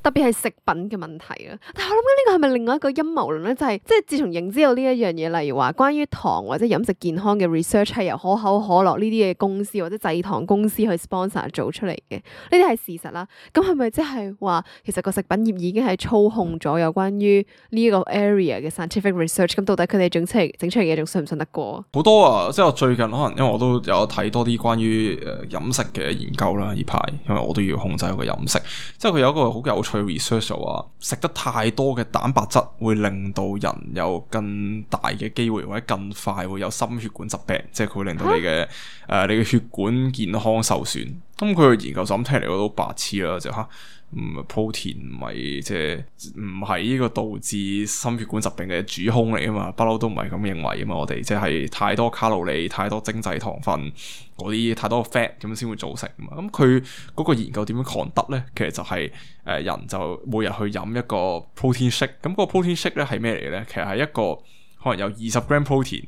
特別係食品嘅問題啊！但係我諗緊呢個係咪另外一個陰謀論咧？就係、是、即係自從認知到呢一樣嘢，例如話關於糖或者飲食健康嘅 research 係由可口可樂呢啲嘅公司或者製糖公司去 sponsor 做出嚟嘅，呢啲係事實啦。咁係咪即係話其實個食品業已經係操控咗有關於呢一個 area 嘅 scientific research？咁到底佢哋整出嚟整出嚟嘅嘢仲信唔信得過？好多啊！即係我最近可能因為我都有睇多啲關於誒飲食嘅研究啦，呢排因為我都要控制我個飲食，即係佢有一個好有趣佢 research 就話食得太多嘅蛋白質會令到人有更大嘅機會或者更快會有心血管疾病，即係佢會令到你嘅誒、啊呃、你嘅血管健康受損。咁佢嘅研究就咁聽嚟，我都白痴啦，就吓唔 protein 唔係即係唔係呢個導致心血管疾病嘅主兇嚟啊嘛，不嬲都唔係咁認為啊嘛，我哋即係太多卡路里、太多精製糖分嗰啲太多 fat 咁先會造成啊嘛。咁佢嗰個研究點樣 conduct 咧？其實就係、是、誒、呃、人就每日去飲一個 protein shake，咁個 protein shake 咧係咩嚟咧？其實係一個可能有二十 gram protein，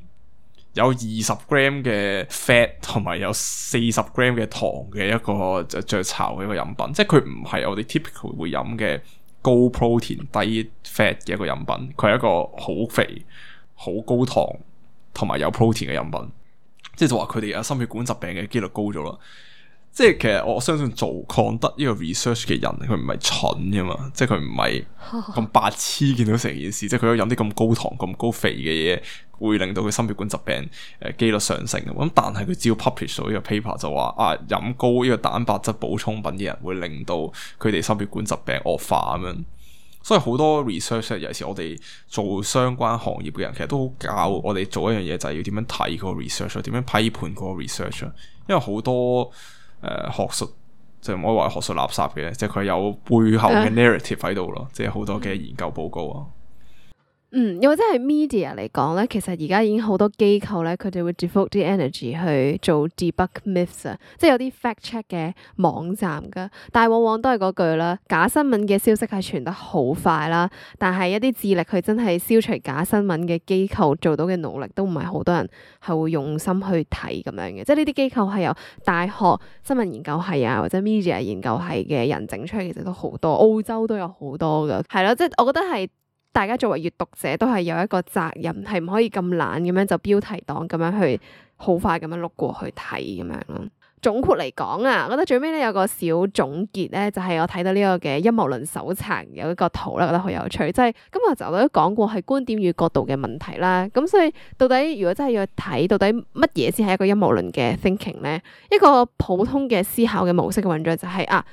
有二十 gram 嘅 fat 同埋有四十 gram 嘅糖嘅一個雀巢嘅一個飲品，即係佢唔係我哋 typical 會飲嘅高 protein 低 fat 嘅一個飲品，佢係一個好肥、好高糖同埋有 protein 嘅飲品，即係就話佢哋有心血管疾病嘅幾率高咗啦。即係其實我相信做抗得呢個 research 嘅人，佢唔係蠢噶嘛，即係佢唔係咁白痴見到成件事，即係佢有飲啲咁高糖、咁高肥嘅嘢，會令到佢心血管疾病誒幾率上升。咁但係佢只要 publish 到呢個 paper 就話啊，飲高呢個蛋白質補充品嘅人會令到佢哋心血管疾病惡化咁樣。所以好多 research 尤其是我哋做相關行業嘅人，其實都好教我哋做一樣嘢，就係要點樣睇嗰個 research， 點樣批判嗰個 research。因為好多誒、呃，學術就唔可以話學術垃圾嘅，即係佢有背後嘅 narrative 喺度咯，即係好多嘅研究報告啊。嗯，又或者係 media 嚟講咧，其實而家已經好多機構咧，佢哋會 devote 啲 energy 去做 debug myths 啊，即係有啲 fact check 嘅網站噶，但係往往都係嗰句啦，假新聞嘅消息係傳得好快啦，但係一啲致力去真係消除假新聞嘅機構做到嘅努力，都唔係好多人係會用心去睇咁樣嘅，即係呢啲機構係由大學新聞研究系啊或者 media 研究系嘅人整出嚟，其實都好多，澳洲都有好多噶，係咯，即係我覺得係。大家作為閱讀者都係有一個責任，係唔可以咁懶咁樣就標題黨咁樣去好快咁樣碌過去睇咁樣咯。總括嚟講啊，我覺得最尾咧有個小總結咧，就係、是、我睇到呢個嘅陰謀論手冊有一個圖咧，覺得好有趣，即係今日就都講過係觀點與角度嘅問題啦。咁所以到底如果真係要睇到底乜嘢先係一個陰謀論嘅 thinking 咧，一個普通嘅思考嘅模式嘅運作就係、是、啊。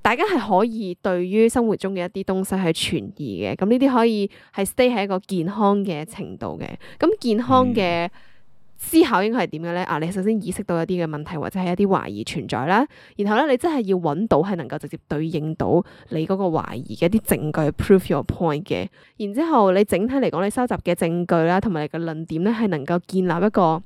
大家係可以對於生活中嘅一啲東西去存疑嘅，咁呢啲可以係 stay 喺一個健康嘅程度嘅。咁健康嘅思考應該係點嘅咧？啊，你首先意識到一啲嘅問題或者係一啲懷疑存在啦，然後咧你真係要揾到係能夠直接對應到你嗰個懷疑嘅一啲證據去 prove your point 嘅。然之後你整體嚟講，你收集嘅證據啦，同埋你嘅論點咧，係能夠建立一個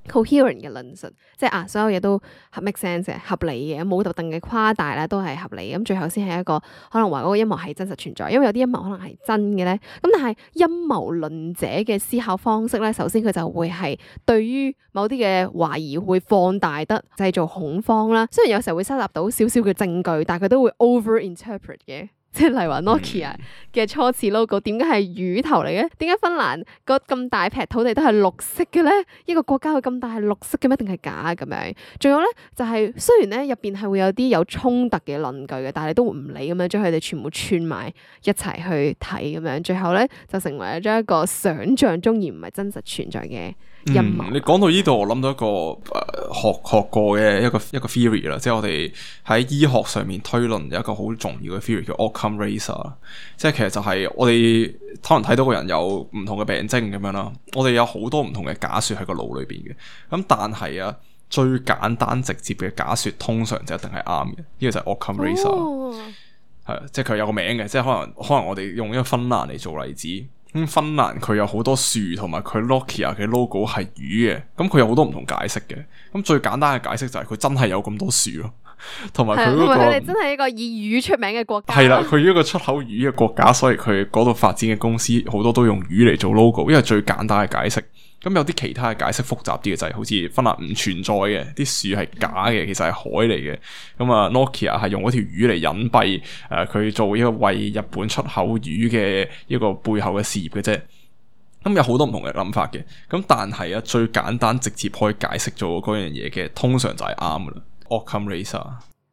coherent 嘅論述，即係啊，所有嘢都合 make sense 嘅，合理嘅，冇特定嘅誇大啦，都係合理。咁最後先係一個可能話嗰個陰謀係真實存在，因為有啲陰謀可能係真嘅咧。咁但係陰謀論者嘅思考方式咧，首先佢就會係對於某啲嘅懷疑會放大得製造恐慌啦。雖然有時候會收集到少少嘅證據，但係佢都會 over interpret 嘅。即係例如話 Nokia 嘅初次 logo 點解係魚頭嚟嘅？點解芬蘭個咁大片土地都係綠色嘅咧？一個國家佢咁大係綠色嘅咩？定係假咁樣？仲有咧就係、是、雖然咧入邊係會有啲有衝突嘅論據嘅，但係你都唔理咁樣將佢哋全部串埋一齊去睇咁樣，最後咧就成為咗一個想像中而唔係真實存在嘅陰謀。嗯，你講到呢度，我諗到一個誒、呃、學學過嘅一個一個 theory 啦，即係我哋喺醫學上面推論有一個好重要嘅 theory 叫 Occam razor， 即係其實就係我哋可能睇到個人有唔同嘅病徵咁樣啦，我哋有好多唔同嘅假說喺個腦裏邊嘅，咁但係啊最簡單直接嘅假說通常就一定係啱嘅，呢、這個就係 Occam razor， 係、哦、即係佢有個名嘅，即係可能可能我哋用一個芬蘭嚟做例子。咁芬蘭佢有好多樹，同埋佢 Nokia 嘅 logo 係魚嘅，咁佢有好多唔同解釋嘅。咁最簡單嘅解釋就係佢真係有咁多樹咯，同埋佢嗰個佢哋真係一個以魚出名嘅國家。係啦，佢一個出口魚嘅國家，所以佢嗰度發展嘅公司好多都用魚嚟做 logo，因為最簡單嘅解釋。咁有啲其他嘅解釋複雜啲嘅就係、是、好似芬蘭唔存在嘅，啲樹係假嘅，其實係海嚟嘅。咁啊 Nokia 係用嗰條魚嚟隱蔽誒佢、呃、做一個為日本出口魚嘅一個背後嘅事業嘅啫。咁有好多唔同嘅諗法嘅。咁但係啊最簡單直接可以解釋做嗰樣嘢嘅，通常就係啱噶啦。Occam razor。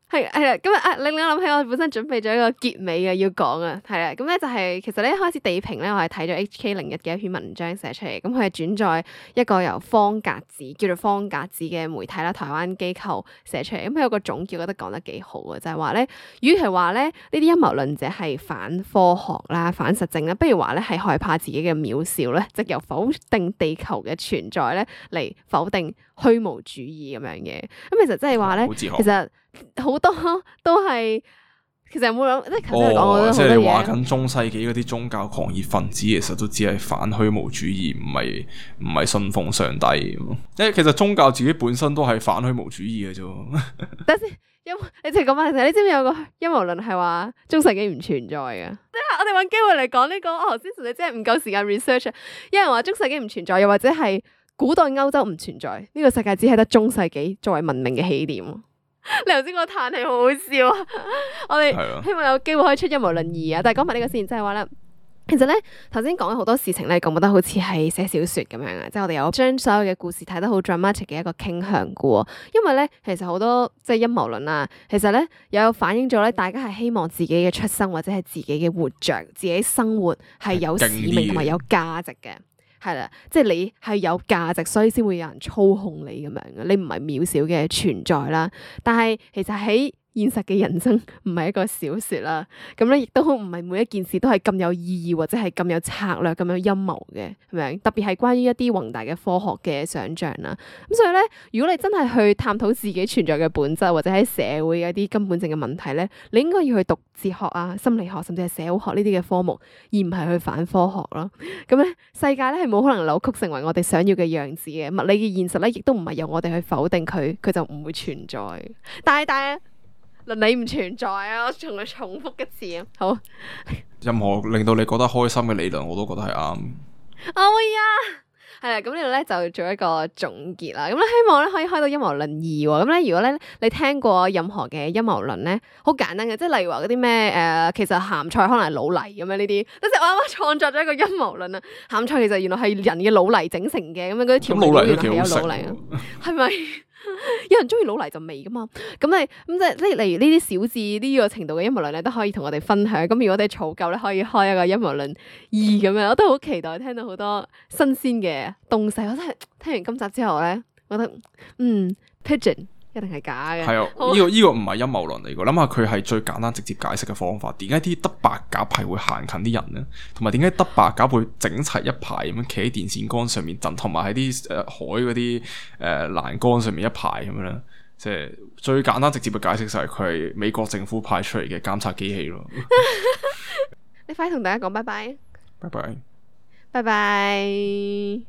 係係啦，咁啊令我諗起我本身準備咗一個結尾嘅要講啊，係啦，咁咧就係、是、其實咧一開始地平咧，我係睇咗 H K 零一嘅一篇文章寫出嚟，咁佢係轉載一個由方格子叫做方格子嘅媒體啦，台灣機構寫出嚟，咁佢有個總結，覺得講得幾好嘅，就係話咧，與其話咧呢啲陰謀論者係反科學啦、反實證啦，不如話咧係害怕自己嘅渺小咧，即由否定地球嘅存在咧嚟否定虛無主義咁樣嘅，咁其實即係話咧，其實。好多都係，其實有冇諗？即係頭先講好多嘢。即係你話緊中世紀嗰啲宗教狂熱分子，其實都只係反虛無主義，唔係唔係信奉上帝。因為其實宗教自己本身都係反虛無主義嘅啫。等先，陰你淨係講翻先，你知唔知有個陰謀論係話中世紀唔存在嘅？即係我哋揾機會嚟講呢個。我頭先純粹真係唔夠時間 research。有人話中世紀唔存在，又或者係古代歐洲唔存在，呢、這個世界只係得中世紀作為文明嘅起點。你頭先個嘆氣好好笑啊！我哋希望有機會可以出陰謀論二啊！但係講埋呢個先，即係話咧，其實咧頭先講咗好多事情咧，覺得好似係寫小說咁樣啊！即係我哋有將所有嘅故事睇得好 dramatic 嘅一個傾向嘅。因為咧，其實好多即係陰謀論啊，其實咧有反映咗咧，大家係希望自己嘅出生或者係自己嘅活着、自己生活係有使命同埋有價值嘅。係啦，即係你係有價值，所以先會有人操控你咁樣嘅，你唔係渺小嘅存在啦。但係其實喺現實嘅人生唔係一個小說啦，咁咧亦都唔係每一件事都係咁有意義或者係咁有策略、咁有陰謀嘅，係咪？特別係關於一啲宏大嘅科學嘅想象啦。咁所以咧，如果你真係去探討自己存在嘅本質，或者喺社會嘅一啲根本性嘅問題咧，你應該要去讀哲學啊、心理學，甚至係社會學呢啲嘅科目，而唔係去反科學咯。咁咧，世界咧係冇可能扭曲成為我哋想要嘅樣子嘅，物理嘅現實咧亦都唔係由我哋去否定佢，佢就唔會存在。但係但係。倫理唔存在啊！我仲係重複一次啊！好，任何令到你覺得開心嘅理論，我都覺得係啱。哦呀，係啦，咁呢度咧就做一個總結啦。咁咧希望咧可以開到陰謀論二喎。咁咧如果咧你聽過任何嘅陰謀論咧，好簡單嘅，即係例如話嗰啲咩誒，其實鹹菜可能係老泥咁樣呢啲。即係我啱啱創作咗一個陰謀論啊！鹹菜其實原來係人嘅老泥整成嘅，咁樣嗰啲調味料原來係有老泥啊，係咪？有人中意老泥就味噶嘛，咁你咁即係即係例如呢啲小至呢個程度嘅陰謀論咧，都可以同我哋分享。咁如果你儲夠咧，可以開一個陰謀論二咁樣，我都好期待聽到好多新鮮嘅東西。我真係聽完今集之後咧，覺得嗯 Pigeon 一定係假嘅。係啊，呢、這個呢、這個唔係陰謀論嚟嘅。諗下佢係最簡單直接解釋嘅方法。點解啲德白鴿係會行近啲人咧？同埋點解德白鴿會整齊一排咁樣企喺電線桿上面震，同埋喺啲誒海嗰啲誒欄杆上面一排咁樣咧？即係最簡單直接嘅解釋就係佢係美國政府派出嚟嘅監察機器咯。你快啲同大家講拜拜，拜拜，拜拜。